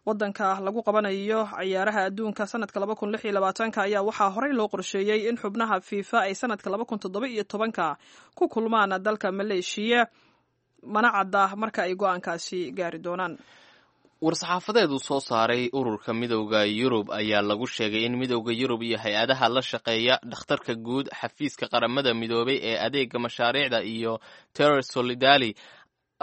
Wadanka lagu qabanayo ciyaaraha adduunka sanadka laba kun lix iyo labaatanka ayaa waxaa horey loo qorsheeyey in xubnaha FIFA ay sanadka laba kun toddoba iyo tobanka ku kulmaan dalka Maleeshiya, mana cadda marka ay go-aankaasi gaari doonaan.
War-saxaafadeed uu soo saaray ururka Midowda Yurub ayaa lagu sheegay in Midowda Yurub iyo hay-adaha la shaqeeya, dhakhtarka guud, xafiiska Qaramada Midoobay ee adeega mashaariicda iyo Terror Solidali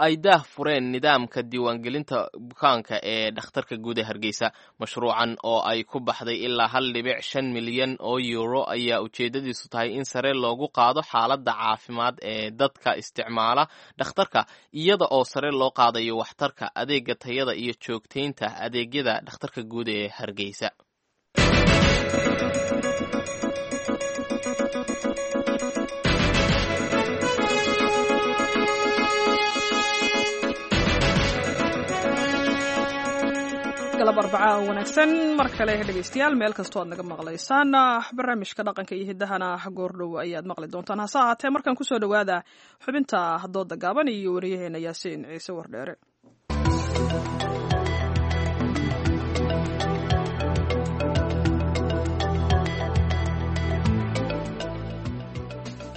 ay daah fureen nidaamka diiwaangelinta bukaanka ee dhakhtarka guud ee Hargeysa. Mashruucan oo ay ku baxday ilaa hal dhibic shan milyan oo euro ayaa ujeedadiisu tahay in sare loogu qaado xaaladda caafimaad ee dadka isticmaala dhakhtarka, iyada oo sare loo qaadayo waxtarka adeega, tayada iyo joogteynta adeegyada dhakhtarka guud ee Hargeysa.
Galab arbacaa oo wanaagsan mar kale dhegeystayaal, meel kastoo aad naga maqlaysaan. Barnaamijka dhaqanka iyo hiddahana goordhow ayaad maqli doontaan, hase ahaatee markaan kusoo dhowaada xubinta dooda gaaban iyo wariyaheena Yaasiin Ciise Wardheere.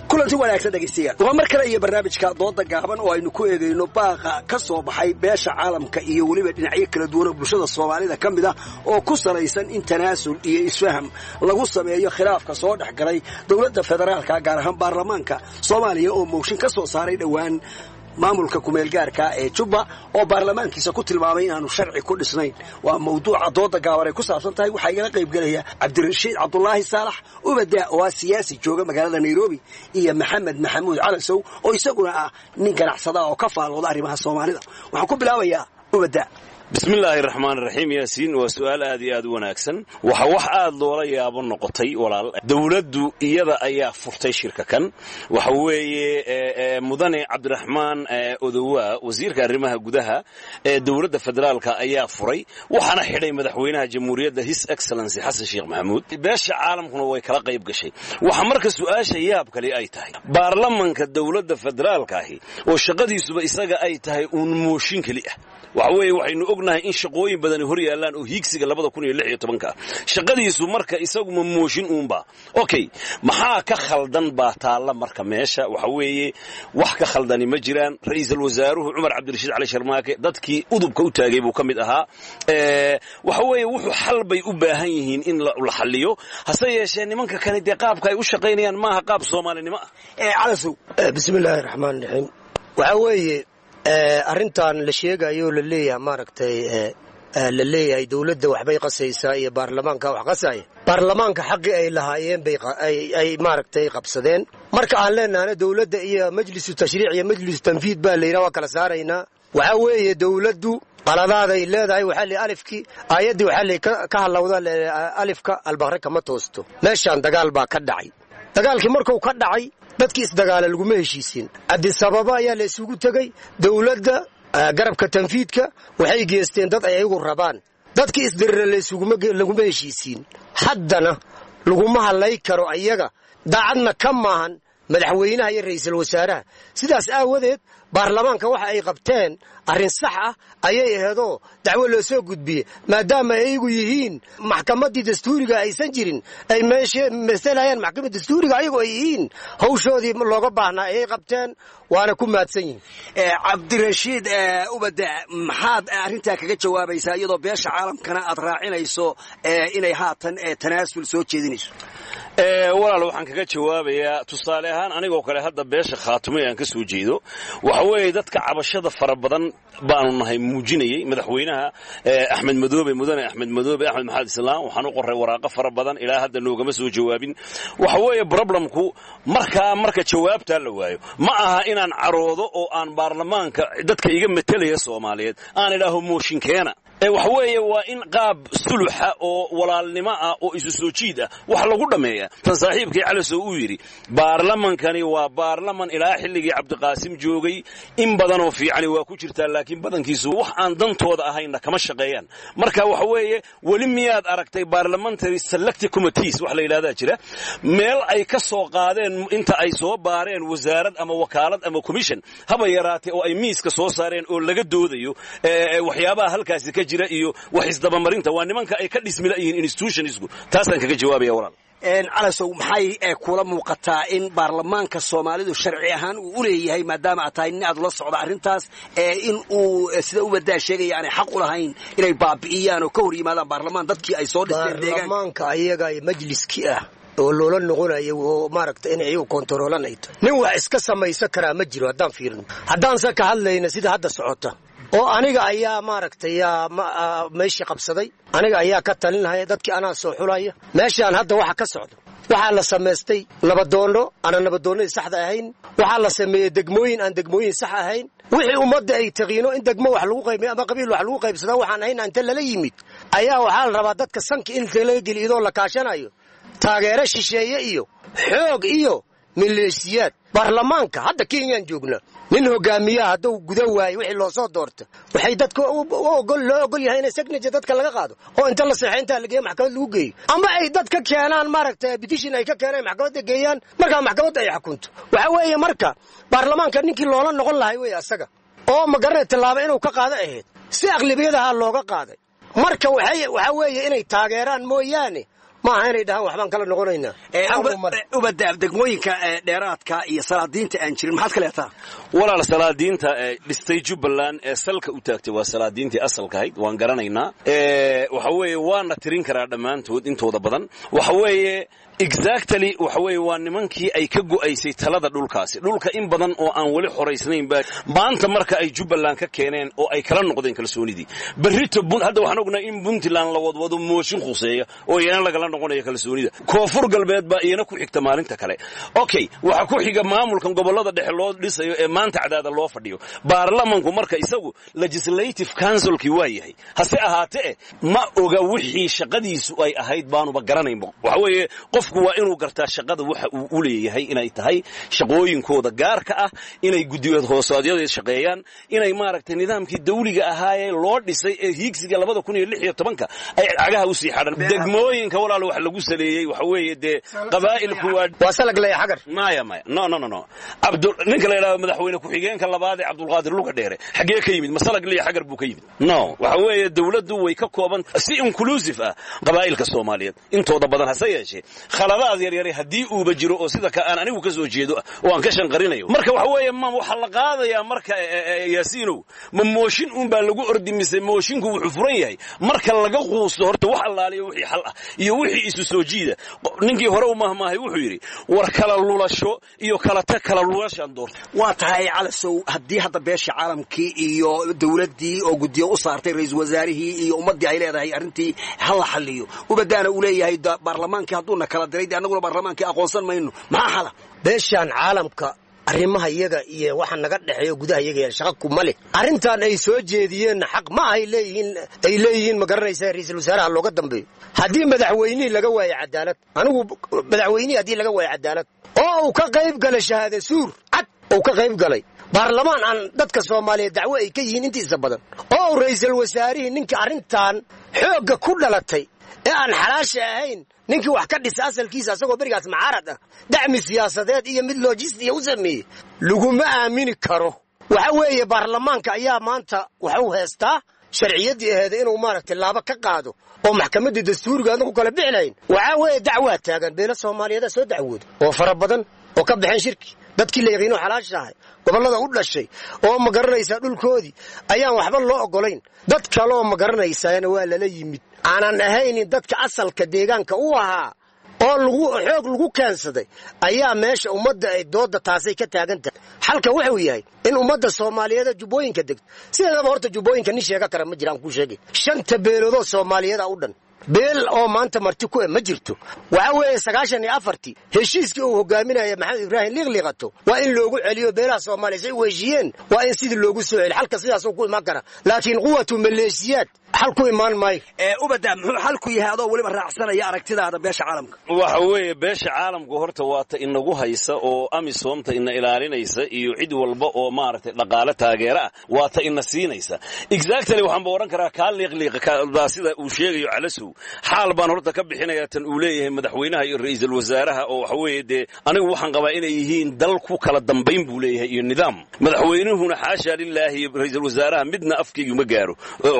Kulanti wanaagsan dhegaystayaal, waa mar kale iyo barnaamijka dooda gaaban oo aynu ku eegayno baaqa ka soo baxay beesha caalamka iyo weliba dhinacyo kala duwan oo bulshada Soomaalida ka mid ah oo ku salaysan in tanaasul iyo isfaham lagu sameeyo khilaafka soo dhex galay dowladda federaalka, gaar ahaan baarlamaanka Soomaaliya oo mooshin ka soo saaray dhowaan maamulka kumeelgaarka ee Jubba oo baarlamaankiisa ku tilmaamay inaanu sharci ku dhisnayn. Waa mawduuca dooda gaaban ay ku saabsan tahay. Waxaa igala qaybgelaya Cabdirashiid Cabdulaahi Saalax Ubada oo ah siyaasi jooga magaalada Nairobi, iyo Maxamed Maxamuud Calasow oo isaguna ah nin ganacsada oo ka faalooda arrimaha Soomaalida. Waxaan ku bilaabayaa Ubada.
Bismillaahi raxmaan raxiim. Yaasiin, waa su'aal aad iyo aad u wanaagsan. Waxa wax aad loola yaabo noqotay, walaal, dowladdu iyada ayaa furtay shirka kan. Waxa weeye mudane Cabdiraxmaan Odowaa, wasiirka arrimaha gudaha ee dowladda federaalka, ayaa furay, waxaana xidhay madaxweynaha jamhuuriyadda, His Excellency Xasan Sheekh Maxamuud. Beesha caalamkuna way kala qayb gashay. Waxa marka su'aasha yaab kale ay tahay, baarlamanka dowladda federaalka ahi oo shaqadiisuba isaga ay tahay uun mooshin keli ah, waxa weeye waxaynu ognahay in shaqooyin badani hor yaallaan oo hiigsiga labada kun iyo lix iyo tobanka shaqadiisu marka isaguma mooshin uunba. Okay, maxaa ka khaldan baa taalla marka meesha? Waxa weeye wax ka khaldani ma jiraan. Ra'iisul wasaaruhu Cumar Cabdirashiid Cali Sharmaake dadkii udubka u taagay buu ka mid ahaa. Waxa weeye wuxuu xal bay u baahan yihiin in la xalliyo, hase yeeshee nimanka kale dee qaabka ay u shaqaynayaan maaha qaab Soomaalinimo
ah. Calasow.
Bismillaahi raxmaan raxiim. Waxaa weeye arrintan la sheegayo la leeyahay, maaragtay, la leeyahay dowladda waxbay qasaysaa iyo baarlamaanka wax qasaya. Baarlamaanka xaqii ay lahaayeen bay ay maaragtay qabsadeen. Marka aan leenahana dowladda iyo majlisu tashriic iyo majlisu tanfiid baa layidhaha, waa kala saaraynaa. Waxaa weeye dowladdu qaladaaday leedahay. Waxaa li alifkii aayaddii waxaa li ka halowda alifka albaqre kama toosto. Meeshaan dagaal baa ka dhacay. Dagaalkii markuu ka dhacay, dadkii isdagaala laguma heshiisin. Cabdisababa ayaa la isugu tegey. Dowladda garabka tanfiidka waxay geesteen dad ay ayagu rabaan. Dadkii isdirira laguma heshiisiin. Haddana laguma hadlay karo ayaga Daacadna ka maahan madaxweynaha iyo ra'iisul wasaaraha. Sidaas aawadeed baarlamaanka waxa ay qabteen arrin sax ah ayay aheedoo dacwo loo soo gudbiyey, maadaama ayagu yihiin maxkamaddii dastuuriga aysan jirin, ay meesha masalayaan maxkamadda dastuuriga ayagu ay yihiin, hawshoodii looga baahnaa ayay qabteen, waana ku mahadsan yihiin.
Cabdirashiid Ubada, maxaad arrintaa kaga jawaabaysaa iyadoo beesha caalamkana aad raacinayso inay haatan tanaasul soo jeedinayso?
Walaal, waxaan kaga jawaabayaa tusaale ahaan anigoo kale hadda beesha Khaatumay aan ka soo jeedo, waxa weeye dadka cabashada fara badan baanu nahay muujinayay madaxweynaha Axmed Madoobe, mudane Axmed Madoobe, Axmed Maxamed Islaam. Waxaan u qoray waraaqo fara badan, ilaa hadda noogama soo jawaabin. Waxa weeye problemku markaa marka jawaabtaa la waayo, ma aha inaan caroodo oo aan baarlamaanka dadka iga metelaya Soomaaliyeed aan idhaaho mooshin keena. Waxa weeye waa in qaab suluxa oo walaalnimo ah oo isu soo jiid ah wax lagu dhammeeya. Tan saaxiibkii Calasow uu yidhi, baarlamankani waa baarlaman ilaa xilligii Cabdiqaasim joogay, in badanoo fiicani waa ku jirtaa, laakiin badankiisu wax aan dantooda ahaynna kama shaqeeyaan. Marka waxa weeye, weli miyaad aragtay parliamentary selective committees wax la yidhahdaa jira, meel ay ka soo qaadeen inta ay soo baareen wasaarad ama wakaalad ama commission haba yaraatee oo ay miiska soo saareen oo laga doodayo waxyaabaha halkaasi ka jira iyo wax isdabamarinta? Waa nimanka ay ka dhismi la'yihiin institutionsku. Taasaan kaga jawaabaya, walaal.
Calasow, maxay kula muuqataa in baarlamaanka Soomaalidu sharci ahaan uu u leeyahay, maadaama aad tahay nin aad ula socda arrintaas, in uu sida Ubadaa sheegaya aanay xaq u lahayn inay baabi'iyaan oo ka hor yimaadaan baarlamaan dadkii ay soo dhisteen deegaanka?
Baarlamaanka ayaga majliskii ah oo loola noqonayo oo maaragta in iyagu kontaroolan ay tahay, nin wax iska samaysan karaa ma jiro. Haddaan fiirno, haddaanse ka hadlayna sida hadda socota oo aniga ayaa maaragtay meeshii qabsaday, aniga ayaa ka talinahaya dadkii, anaa soo xulaya, meeshaan hadda waxa ka socda, waxaa la samaystay nabadoonno aanan nabadoonnadii saxda ahayn, waxaa la sameeyey degmooyin aan degmooyin sax ahayn. Wixii ummadda ay taqiino in degmo wax lagu qaybiyo ama qabiil wax lagu qaybsadaa waxaan ahayn inta lala yimid ayaa waxaa la rabaa dadka sanka in laga geliyo iyadoo la kaashanayo taageero shisheeye iyo xoog iyo maleeshiyaad. Baarlamaanka hadda Kenyaan joognaa, nin hogaamiyaha hadduu guda waayo wixii loo soo doorta, waxay dadka loo ogol yahay inay signature dadka laga qaado oo inta la seexo intaa la geeyo maxkamad lagu geeyo, ama ay dad ka keenaan maaragtay petition ay ka keenaan, maxkamadda geeyaan, markaa maxkamadda ay xukunto. Waxa weeye marka baarlamaanka ninkii loola noqon lahay wey asaga oo magaranay tallaabo inuu ka qaado ahayd, si aqlibiyadaha looga qaaday. Marka waxay waxa weeye inay taageeraan mooyaane, maaha inay dhahaan waxbaan kala noqonaynaa.
Ubada, degmooyinka dheeraadka iyo salaadiinta aan jirin maxaad ka leetaa?
Walaal, salaadiinta dhistay Jubbaland ee salka u taagtay waa salaadiintii asalka ahayd, waan garanaynaa. Waxa weeye waana tirin karaa dhammaantood intooda badan. Waxa weeye exactly, waxa weeye waa nimankii ay ka go'aysay talada dhulkaasi, dhulka in badan oo aan weli xoraysnayn baa maanta marka ay Jubbaland ka keeneen oo ay kala noqdeen kalsoonidii. Berrito hadda waxaan ognahay in Puntland la wadwado mooshin khuseeya oo iyana lagala noqonayo kalsoonida. Koonfur Galbeed baa iyana ku xigta maalinta kale. Okay, waxaa ku xiga maamulkan gobollada dhexe loo dhisayo ee maanta cadaada loo fadhiyo. Baarlamanku marka isagu legislative councilkii waa yahay, hase ahaatee ma oga wixii shaqadiisu ay ahayd, baanuba garanaynba. Waxa weeye qofku waa inuu gartaa shaqada waxa uu u leeyahay, inay tahay shaqooyinkooda gaarka ah, inay guddiyood hoosaadyada shaqeeyaan, inay maaragtay nidaamkii dawliga ahaayee loo dhisay ee hiigsiga labada kun iyo lix iyo tobanka ay cagaha usii xadhan. Degmooyinka, walaal, wax lagu saleeyey waxa weeye dee qabaa'ilku waa
waa salag leeya xagar.
Maya, maya, no, no, no, no. Cabdul ninka la yidhahdo madaxweyne ku-xigeenka labaad ee Cabdulqaadir Luga Dheere xaggee ka yimid? Masalag liya xagar buu ka yimid? No, waxa weeye dawladdu way ka kooban si inclusive ah qabaa'ilka Soomaaliyeed intooda badan, hase yeeshee khaladaad yaryare haddii uuba jiro oo sida ka aan anigu ka soo jeedo oo aan ka shanqarinayo. Marka waxa weeye, ma waxaa la qaadayaa marka, Yaasiinow, ma mooshin uun baa lagu ordi mise moshinku wuxuu furan yahay marka laga quusto horta wax allaaliyo wixii xal ah iyo wixii isu soo jiida? Ninkii hore u mahmaahay wuxuu yidhi, war kala lulasho iyo kala tag, kala lulashaan doorta.
Waa tahay, Calasow, haddii hadda beesha caalamkii iyo dawladdii oo guddiyo u saartay ra-iisul wasaarihii iyo ummaddii ay leedahay arrintii ha la xalliyo, Ubadaana uu leeyahay baarlamaankii hadduuna kala diray dee annaguna baarlamaankii aqoonsan mayno, maxaa xala?
Beeshaan caalamka arrimaha iyaga iyo waxa naga dhexeeyo gudaha iyaga shaqa kuma leh. Arrintan ay soo jeediyeenna xaq ma ahay leeyihiin, ay leeyihiin ma garanaysaa ra'iisul wasaaraha looga dambeeyo. Haddii madaxweynihii laga waayo cadaalad, anigu madaxweynihii haddii laga waayo cadaalad oo uu ka qayb galay shahaada suur cad uu ka qayb galay, baarlamaan aan dadka Soomaaliyeed dacwo ay ka yihiin intiisa badan, oo uu ra'iisul wasaarihii ninkii arrintan xoogga ku dhalatay Ee aan xalaasha ahayn, ninkii wax ka dhisa asalkiisa asagoo berigaas macaarad ah, dacmi siyaasadeed iyo mid lojistiya u sameeyey, laguma aamini karo. Waxa weeye baarlamaanka ayaa maanta waxuu heestaa sharciyaddii aheeda inuu maaragtay laaba ka qaado oo maxkamaddii dastuuriga adna ku kala bixi lahayn. Waxaa weeye dacwaa taagan, beelo soomaaliyeeda soo dacwooda oo fara badan oo ka baxeen shirki, dadkii la yaqiino xalaasha ahay, gobollada u dhashay oo ma garanaysaa dhulkoodii ayaan waxba loo oggolayn. Dad kaleoo ma garanaysaana waa lala yimid aanan ahaynin dadka asalka deegaanka u ahaa oo lagu xoog lagu keensaday ayaa meesha ummadda ay doodda taasay ka taagan tahay. Xalka wuxuu yahay in ummadda soomaaliyeed ee jubbooyinka degto sideedaba horta jubbooyinka nin sheega kara ma jiraan, kuu sheegay shanta beeloodoo soomaaliyeeda u dhan beel oo maanta marti ku eh ma jirto. Waxa weeye sagaashan iyo afartii heshiiskii uu hogaaminaya Maxamed Ibraahim Liiqliiqato waa in loogu celiyo beelaha Soomaaliya say u heshiiyeen, waa in sidii loogu soo celiyo. Xalka sidaasuu ku imaan kara, laakiin quwatu maleeshiyaad xal ku imaan maayo.
Ubada, muxuu xalku yahay adoo weliba raacsanaya aragtidaada beesha caalamka?
Waxa weeye beesha caalamku horta waa ta inagu haysa oo amisoomta ina ilaalinaysa iyo cid walba oo maaragtay dhaqaale taageera ah waa ta ina siinaysa. Exactly, waxaan ba odhan karaa kaa liiqliiqa sida uu sheegayo Calasow. Xaal baan horta ka bixinayaa tan uu leeyahay madaxweynaha iyo ra'iisul wasaaraha oo waxa weeye dee anigu waxaan qabaa inay yihiin dal ku kala dambayn buu leeyahay iyo nidaam. Madaxweynuhuna xaasha lilaahi iyo ra'iisul wasaaraha midna afkaygu ma gaaro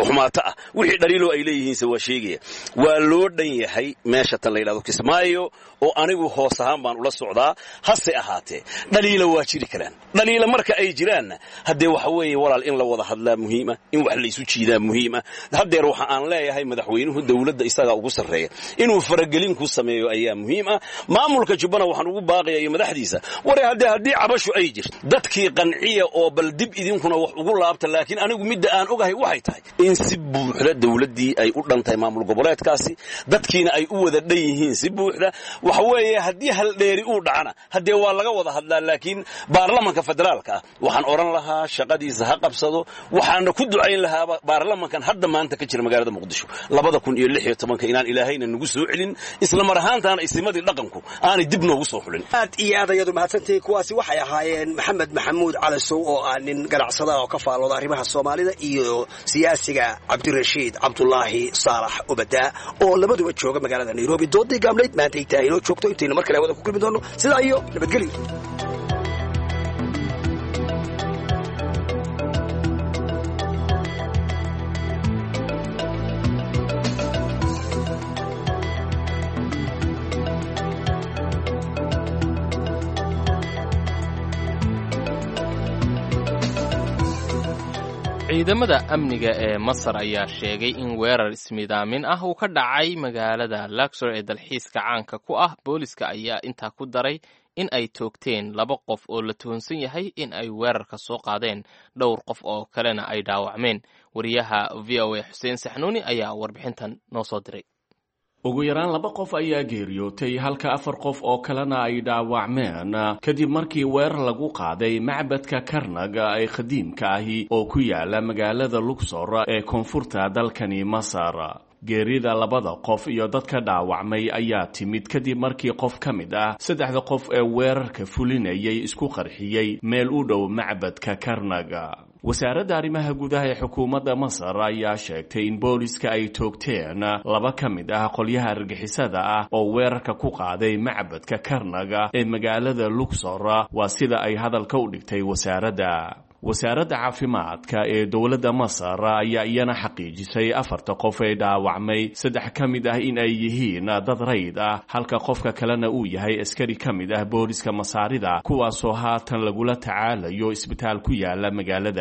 xumaato ah, wixii dhaliiloo ay leeyihiinse waa sheegaya. Waa loo dhan yahay meesha tan la yidhahdo Kismaayo oo anigu hoos ahaan baan ula socdaa, hase ahaatee dhaliila waa jiri karaan. Dhaliila marka ay jiraanna haddee waxa weeye walaal in la wada hadlaa muhiima, in wax laysu jiidaa muhiima. Haddeer waxa aan leeyahay madaxweynuhu dowladda isagaa ugu sarreeya, inuu faragelin ku sameeyo ayaa muhiim ah. Maamulka Jubbana waxaan ugu baaqaya iyo madaxdiisa, ware haddee haddii cabashu ay jirto dadkii qanciya oo bal dib idinkuna wax ugu laabta. Laakiin anigu midda aan ogahay waxay tahay in si buuxda dowladdii ay u dhan tahay maamul goboleedkaasi, dadkiina ay u wada dhan yihiin si buuxda. Waxa weeye haddii haldheeri uu dhacana haddee waa laga wada hadlaa, laakiin baarlamanka federaalka ah waxaan odhan lahaa shaqadiisa ha qabsado. Waxaana ku ducayn lahaaba baarlamankan hadda maanta ka jira magaalada Muqdisho labada kun iyo lix iyo tobanka inaan ilaahayna nagu soo celin, isla mar ahaantaana isimadii dhaqanku aanay dib noogu soo xulin.
Aad iyo aad ayaad umahadsantihiin. Kuwaasi waxay ahaayeen Maxamed Maxamuud Calasow oo ah nin ganacsada oo ka faallooda arrimaha Soomaalida iyo siyaasiga Cabdirashiid Cabdulaahi Saalax Ubadaa oo labaduba jooga magaalada Nairobi. Doodii gaamlayd maanta ay tahay inoo joogto, intaynu mar kale hawada ku kulmi doono, sidaa iyo nabadgelyo.
Ciidamada amniga ee Masar ayaa sheegay in weerar ismidaamin ah uu ka dhacay magaalada Luxor ee dalxiiska caanka ku ah. Booliska ayaa intaa ku daray in ay toogteen laba qof oo la tuhunsan yahay in ay weerarka soo qaadeen, dhowr qof oo kalena ay dhaawacmeen. Wariyaha V O A Xuseen Saxnuuni ayaa warbixintan noo soo diray.
Ugu yaraan laba qof ayaa geeriyootay halka afar qof oo kalena ay dhaawacmeen kadib markii weerar lagu qaaday macbadka Karnag ee qadiimka ahi oo ku yaala magaalada Luxor ee koonfurta dalkani Masar. Geerida labada qof iyo dadka dhaawacmay ayaa timid kadib markii qof ka mid ah saddexda qof ee weerarka fulinayay isku qarxiyey meel u dhow macbadka Karnag. Wasaaradda arrimaha gudaha ee xukuumadda Masar ayaa sheegtay in booliska ay toogteen laba ka mid ah qolyaha argixisada ah oo weerarka ku qaaday macbadka Karnaga ee magaalada Luxor, waa sida ay hadalka u dhigtay wasaaradda. Wasaaradda caafimaadka ee dowladda Masar ayaa iyana xaqiijisay afarta qof ee dhaawacmay saddex ka mid ah in ay yihiin dad rayd ah, halka qofka kalena uu yahay askari ka mid ah booliska Masaarida, kuwaasoo haatan lagula tacaalayo isbitaal ku yaala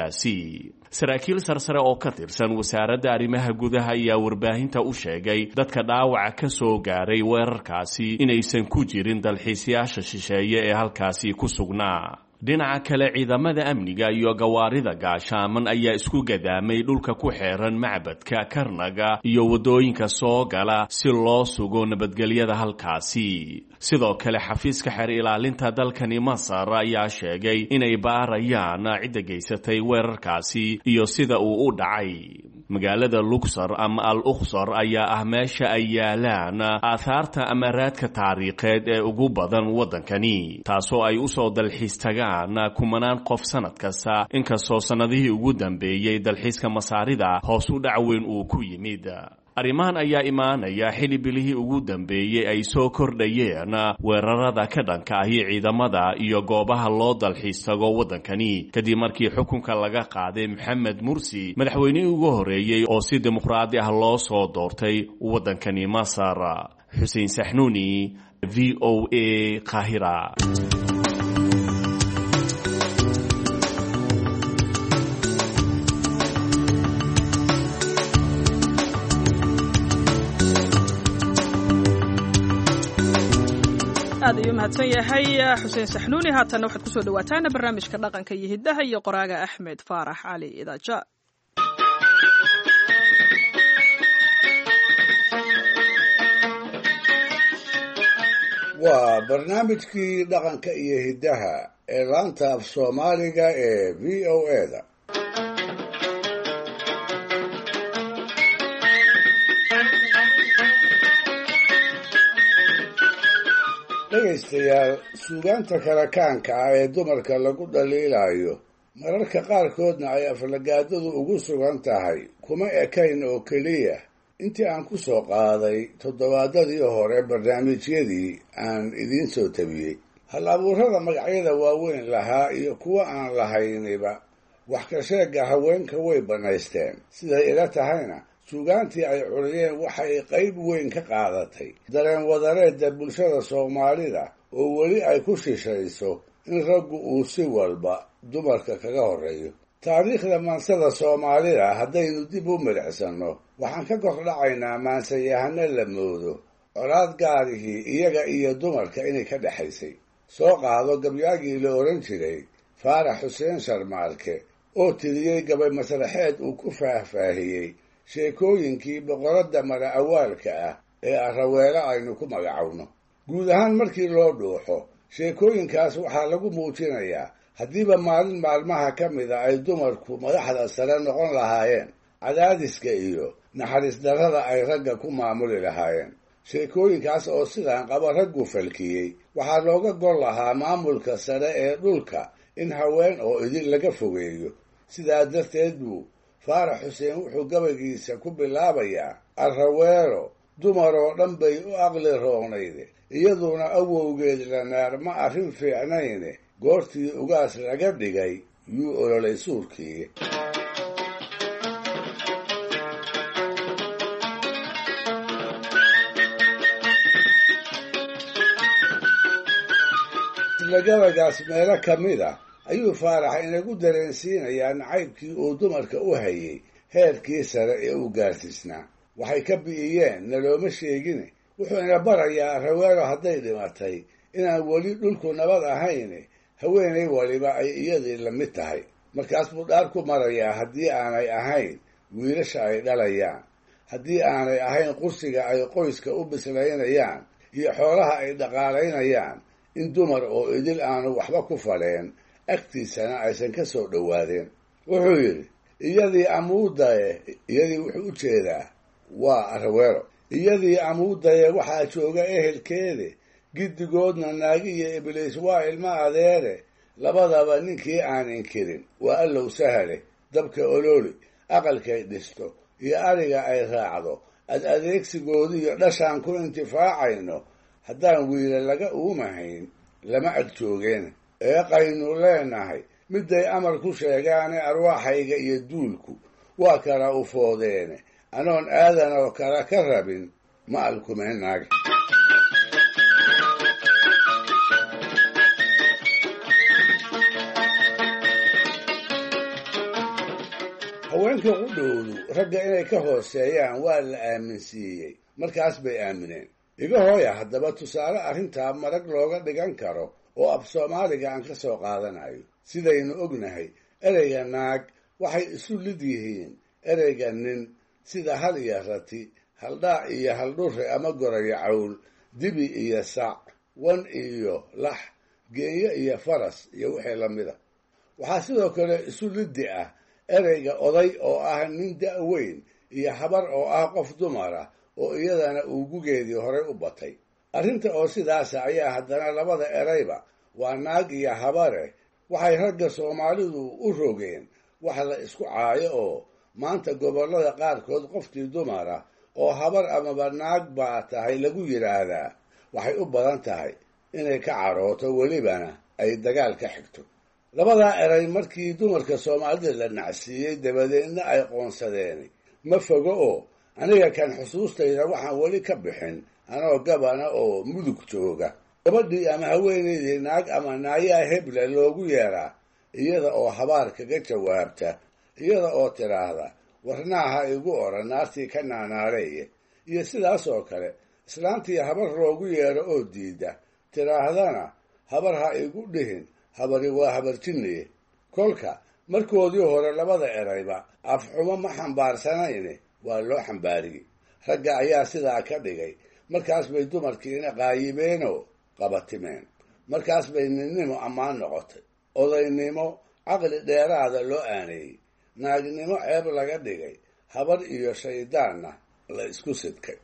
magaaladaasi. Saraakiil sarsare oo ka tirsan wasaaradda arrimaha gudaha ayaa warbaahinta u sheegay dadka dhaawaca ka soo gaaray weerarkaasi inaysan ku jirin dalxiisayaasha shisheeye ee halkaasi ku sugnaa. Dhinaca kale, ciidamada amniga iyo gawaarida gaashaaman ayaa isku gadaamay dhulka ku xeeran macbadka Karnaga iyo waddooyinka soo gala si loo sugo nabadgelyada halkaasi. Sidoo kale, xafiiska xeer ilaalinta dalkani Masar ayaa sheegay inay baarayaan cidda geysatay weerarkaasi iyo sida uu u dhacay. Magaalada Luxor ama Al Ukhsor ayaa ah meesha ay yaalaan aahaarta ama raadka taariikheed ee ugu badan waddankani, taasoo ay usoo dalxiis tagaan kumanaan qof sanad kasta, inkastoo sannadihii ugu dambeeyey dalxiiska Masaarida hoos u dhac weyn uu ku yimid. Arrimahan ayaa imaanaya xili bilihii ugu dambeeyey ay soo kordhayeen weerarada ka dhanka ahi ciidamada iyo goobaha loo dalxiis tago waddankani, kadib markii xukunka laga qaaday Maxamed Mursi, madaxweynihii ugu horreeyey oo si dimuqraadi ah loo soo doortay waddankani Masar. Xuseen Saxnuuni, V O A, Qaahira.
Aad ayuu mahadsan yahay Xuseen Saxnuuni. Haatanna waxaad kusoo dhawaataan barnaamijka dhaqanka iyo hiddaha iyo qoraaga Axmed Faarax Cali Idaaja.
Waa barnaamijkii dhaqanka iyo hiddaha ee laanta af Soomaaliga ee V O A da. Dhegaystayaal, suugaanta karakaanka ah ee dumarka lagu dhaliilayo, mararka qaarkoodna ay aflagaadadu ugu sugan tahay, kuma ekayn oo keliya intii aan ku soo qaaday toddobaadadii hore barnaamijyadii aan idiin soo tabiyey. Hal abuurada magacyada waaweyn lahaa iyo kuwa aan lahayniba wax ka sheegga haweenka way bannaysteen. Siday ila tahayna, suugaantii ay curiyeen waxay qayb weyn ka qaadatay dareen wadareedda bulshada Soomaalida oo weli ay ku shishayso in raggu uu si walba dumarka kaga horreeyo. Taariikhda maansada Soomaalida haddaynu dib u midhacsanno, waxaan ka kordhacaynaa maansayahano la moodo colaad gaarihii iyaga iyo dumarka inay ka dhexaysay. Soo qaado gabyaagii la odhan jiray Faarax Xuseen Sharmaalke oo tiriyey gabay masraxeed uu ku faahfaahiyey sheekooyinkii boqoradda mala awaalka ah ee Araweelo aynu ku magacowno. Guud ahaan markii loo dhuuxo sheekooyinkaas, waxaa lagu muujinayaa haddiiba maalin maalmaha ka mida ay dumarku madaxda sare noqon lahaayeen, cadaadiska iyo naxariis darrada ay ragga ku maamuli lahaayeen. Sheekooyinkaas oo sidaan qaba raggu falkiyey waxaa looga gol lahaa maamulka sare ee dhulka in haween oo idin laga fogeeyo. Sidaa darteed buu Faarax Xuseen wuxuu gabaygiisa ku bilaabayaa: Araweelo dumaroo dhan bay u aqli roognayde, iyaduna awowgeed lanaar ma arrin fiicnayne, goortii ugaas laga dhigay yuu ololay suurkii. Isla gabaygaas meelo ka mid ah ayuu Faarax inagu dareensiinayaa nacaybkii uu dumarka u hayay heerkii sare ee uu gaarsiisnaa. Waxay ka bi'iyeen nalooma sheegine, wuxuu ina barayaa Araweelo hadday dhimatay inaan weli dhulku nabad ahayne, haweenay waliba ay iyadii la mid tahay. Markaas buu dhaar ku marayaa haddii aanay ahayn wiilasha ay dhalayaan, haddii aanay ahayn qursiga ay qoyska u bislaynayaan iyo xoolaha ay dhaqaalaynayaan, in dumar oo idil aanu waxba ku faleen, agtiisana aysan ka soo dhowaadeen. Wuxuu yidhi: iyadii amuudaye, iyadii wuxuu u jeedaa waa Araweelo, iyadii amuudaye waxaa jooga ehelkeede, giddigoodna naagi iyo Ibliis waa ilmo adeere, labadaba ninkii aan inkirin waa Allow sahale. Dabka ololi, aqalkay dhisto iyo ariga ay raacdo, ad adeegsigoodiiyo dhashaan ku intifaacayno, haddaan wiila laga uumahayn lama ag joogeen. Eeqaynu leenahay midday amar ku sheegaane, arwaaxayga iyo duulku waa kala ufoodeene, anoon aadan oo kala ka rabin ma alkumeen naag. Haweenka qudhowdu ragga inay ka hooseeyaan waa la aaminsiiyey, markaas bay aamineen. Iga hooya haddaba tusaale arrintaa marag looga dhigan karo oo af Soomaaliga aan ka soo qaadanayo. Sidaynu ognahay, ereyga naag waxay isu lid yihiin ereyga nin, sida hal iyo rati, haldhaac iyo haldhure ama gorayo cawl, dibi iyo sac, wan iyo lax, geenyo iyo faras iyo wixii la mida. Waxaa sidoo kale isu liddi ah ereyga oday oo ah nin da' weyn iyo habar oo ah qof dumar ah oo iyadana uu gugeedii horay u batay. Arrinta oo sidaasa ayaa haddana labada ereyba waa naag iyo habare waxay ragga Soomaalidu u rogeen wax la isku caayo, oo maanta gobollada qaarkood qofkii dumar ah oo habar amaba naag baa tahay lagu yidhaahdaa waxay u badan tahay inay ka carooto, welibana ay dagaal ka xigto. Labadaa eray markii dumarka soomaalida la nacsiiyey dabadeedna ay qoonsadeen ma fogo oo aniga kan xusuustayda waxaan weli ka bixin anoo gabana oo mudug jooga, gabadhii ama haweenaydii naag ama naayaa hebla loogu yeeraa iyada oo habaar kaga jawaabta, iyada oo tidhaahda warnaaha igu oran naartii ka naanaareeye, iyo sidaas oo kale islaantii habar loogu yeero oo diida tidhaahdana habar ha igu dhihin, habari waa habarjinniye. Kolka markoodii hore labada erayba afxumo ma xambaarsanayne waa loo xambaariyey. Ragga ayaa sidaa ka dhigay, markaas bay dumarkiina qaayibeenoo qabatimeen, markaas bay ninnimo ammaan noqotay, odaynimo caqli dheeraada loo aaneeyey, naagnimo ceeb laga dhigay, habar iyo shaydaanna la isku sidkay.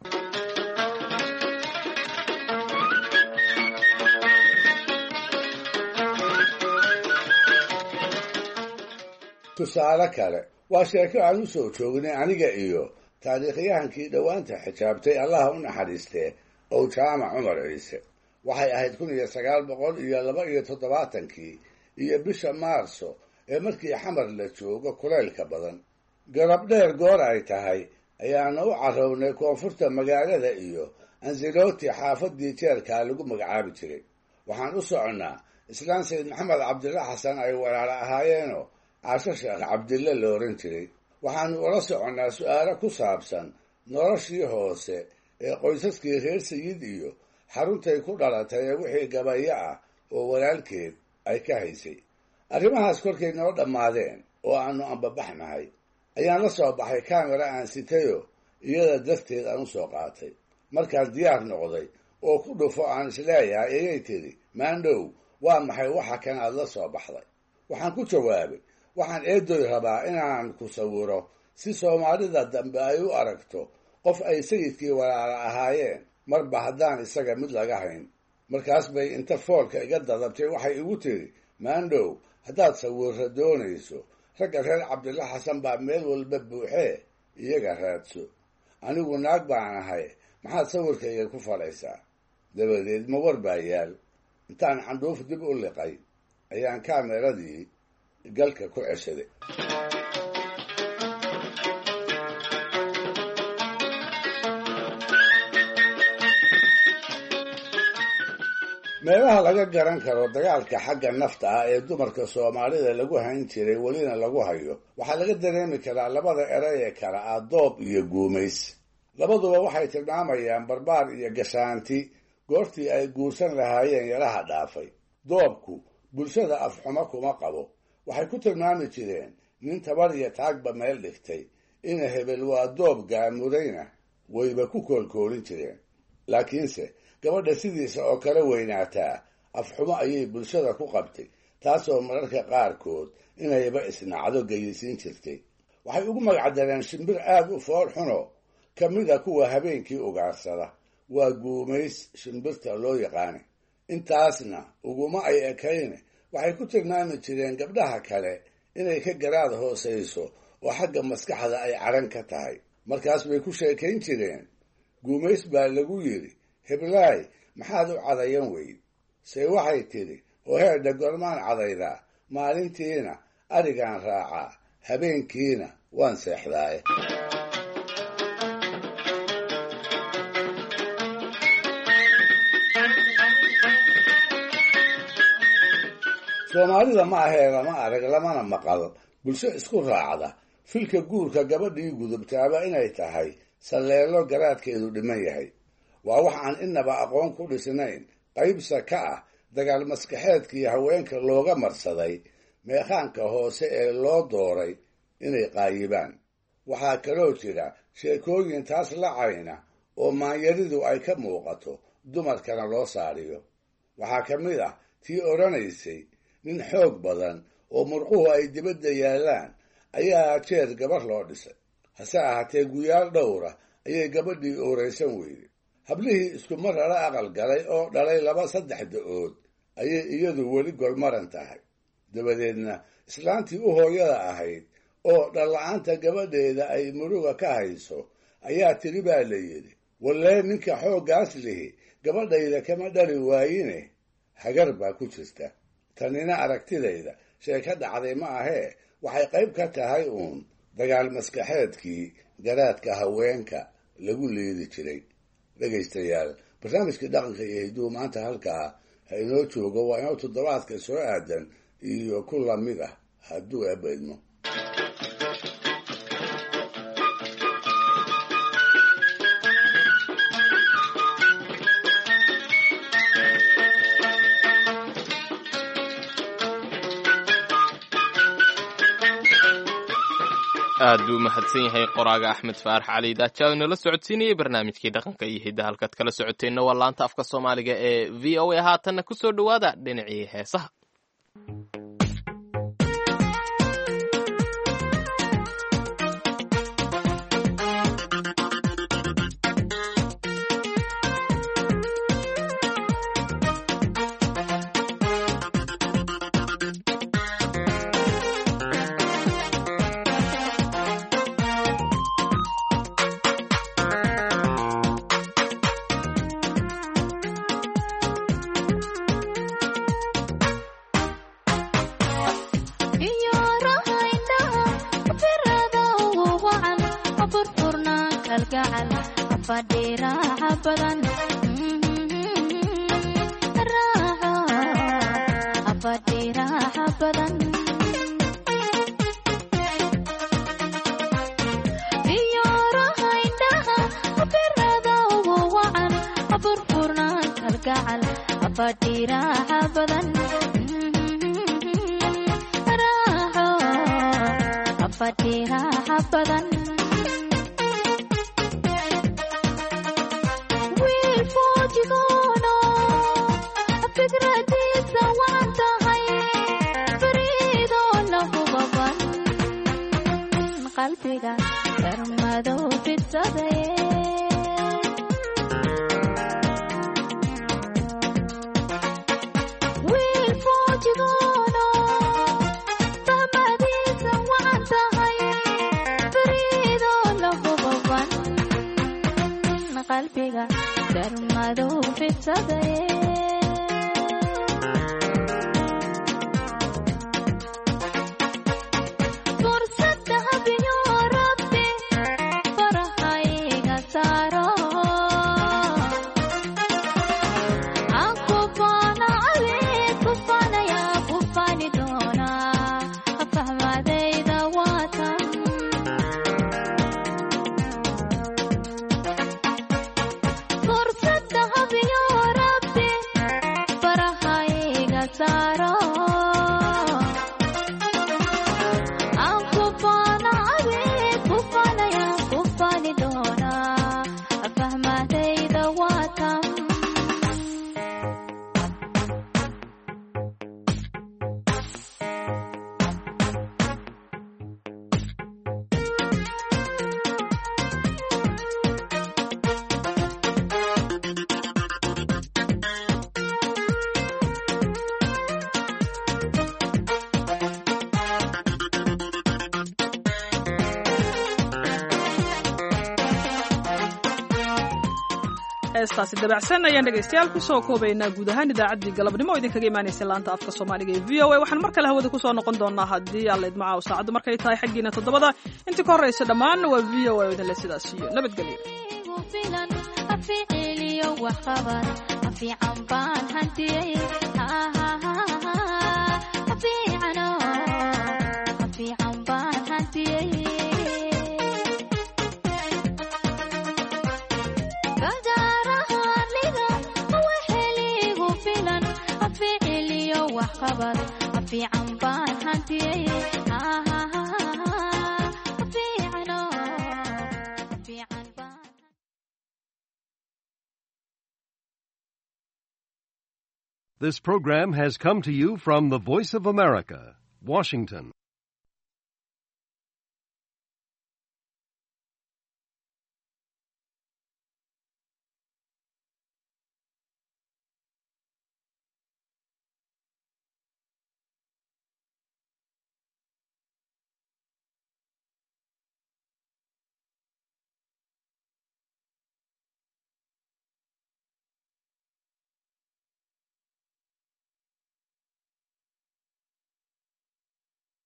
Tusaale kale waa sheeko aan u soo joognay aniga iyo taariikhyahankii dhowaanta xijaabtay, allaha u naxariistee, ow Jaamac Cumar Ciise. Waxay ahayd kun iyo sagaal boqol iyo laba iyo toddobaatankii iyo bisha Maarso ee markii Xamar la joogo kulaylka badan. Garab dheer goor ay tahay ayaana u carrownay koonfurta magaalada iyo Anseloti, xaafadii jeerkaa lagu magacaabi jiray. Waxaan u soconnaa islaan Sayid Maxamed Cabdilla Xasan ay walaalo ahaayeenoo Caasho Sheekh Cabdille la oran jiray. Waxaanu ula soconnaa su'aalo ku saabsan noloshii hoose ee qoysaskii reer Sayid iyo xaruntay ku dhalatay ee wixii gabayo ah oo walaalkeed ay ka haysay. Arrimahaas korkay noo dhammaadeen oo aanu ambabaxnahay ayaan la soo baxay kaamera aan sitayo iyada darteed aan u soo qaatay. Markaan diyaar noqday oo ku dhufo aan isleeyahay ayay tidhi, maandhow, waa maxay waxa kan aad la soo baxday? Waxaan ku jawaabay, waxaan eedoy rabaa inaan ku sawiro si soomaalida dambe ay u aragto qof ay sayidkii walaala ahaayeen, marba haddaan isaga mid laga hayn. Markaas bay inta foolka iga dadabtay waxay igu tidhi, maandhow, haddaad sawirro doonayso ragga reer Cabdilla Xasan baa meel walba buuxee, iyaga raadso. Anigu naag baan ahay, maxaad sawirkayga ku falaysaa? Dabadeed ma war baa yaal. Intaan candhuuf dib u liqay ayaan kaameradii galka ku ceshaday. Meelaha laga garan karo dagaalka xagga nafta ah ee dumarka soomaalida lagu hayn jiray welina lagu hayo waxaa laga dareemi karaa labada eray ee kala ah doob iyo guumays. Labaduba waxay tilmaamayaan barbaar iyo gashaanti goortii ay guursan lahaayeen yaraha dhaafay. Doobku bulshada afxumo kuma qabo. Waxay ku tilmaami jireen nin tabar iyo taagba meel dhigtay, ina hebel waa doob gaamurayna wayba ku koolkoolin jireen. Laakiinse gabadha sidiisa oo kale weynaataa afxumo ayay bulshada ku qabtay, taasoo mararka qaarkood inayba isnacdo geyisiin jirtay. Waxay ugu magacdareen shimbir aad u fool xuno ka mida kuwa habeenkii ugaarsada, waa guumays shimbirta loo yaqaana. Intaasna uguma ay ekayne, waxay ku tilmaami jireen gabdhaha kale inay ka garaad hoosayso oo xagga maskaxda ay caran ka tahay. Markaas bay ku sheekayn jireen, guumays baa lagu yidhi, heblaay, maxaad u cadayan weyd? Se waxay tidhi, oo heerdha gormaan cadaydaa, maalintiina arigaan raacaa, habeenkiina waan seexdaaye. Soomaalida ma ahee lama arag lamana maqal bulsho isku raacda filka guurka gabadhii gudubtaaba inay tahay salleelo garaadkeedu dhiman yahay. Waa wax aan inaba aqoon ku dhisnayn, qaybsa ka ah dagaal maskaxeedkii haweenka looga marsaday meekhaanka hoose ee loo dooray inay qaayibaan. Waxaa kaloo jira sheekooyin taas la cayna oo maanyaridu ay ka muuqato, dumarkana loo saariyo. Waxaa ka mid ah tii odhanaysay, nin xoog badan oo murquhu ay dibadda yaallaan ayaa jeer gabar loo dhisay. Hase ahaatee guyaal dhowra ayay gabadhii ooraysan weyday. Hablihii isku mar lala aqal galay oo dhalay laba saddex da-ood ayay iyadu weli golmaran tahay. Dabadeedna islaantii u hooyada ahayd oo dhalla-aanta gabadheeda ay muruga ka hayso Ayaa tiri baa la yidhi, wallee ninka xooggaas lihi gabadhayda kama dhali waayine, hagar baa ku jirta. Tanina aragtidayda sheeko dhacday ma ahee, waxay qayb ka tahay uun dagaal maskaxeedkii garaadka haweenka lagu liidi jiray. Dhegaystayaal, barnaamijkii dhaqanka iyo hiduhu maanta halkaa ha inoo joogo. Waa inoo toddobaadka soo aadan iyo ku lamid ah hadduu eebba idmo.
Aad buu mahadsan yahay qoraaga Axmed Faarax Cali Daaja oo inala socodsiinayay barnaamijkii dhaqanka iyo hidda. Halkaad kala socoteenna waa laanta afka Soomaaliga ee V O A. Haatanna ku soo dhowaada dhinacii heesaha.
Heestaasi dabacsan ayaan dhegaystayaal kusoo koobaynaa guud ahaan idaacaddii galabnimo oo idinkaga imaanaysa laanta afka Soomaaliga ee V O A. Waxaan mar kale hawada kusoo noqon doonaa haddii Alla idmo caaw saacaddu markay tahay xaggiina toddobada. Intii ka horraysa dhammaan waa V O A oo idinle sidaas iyo nabadgelyo.
This program has come to you from the Voice of America, Washington.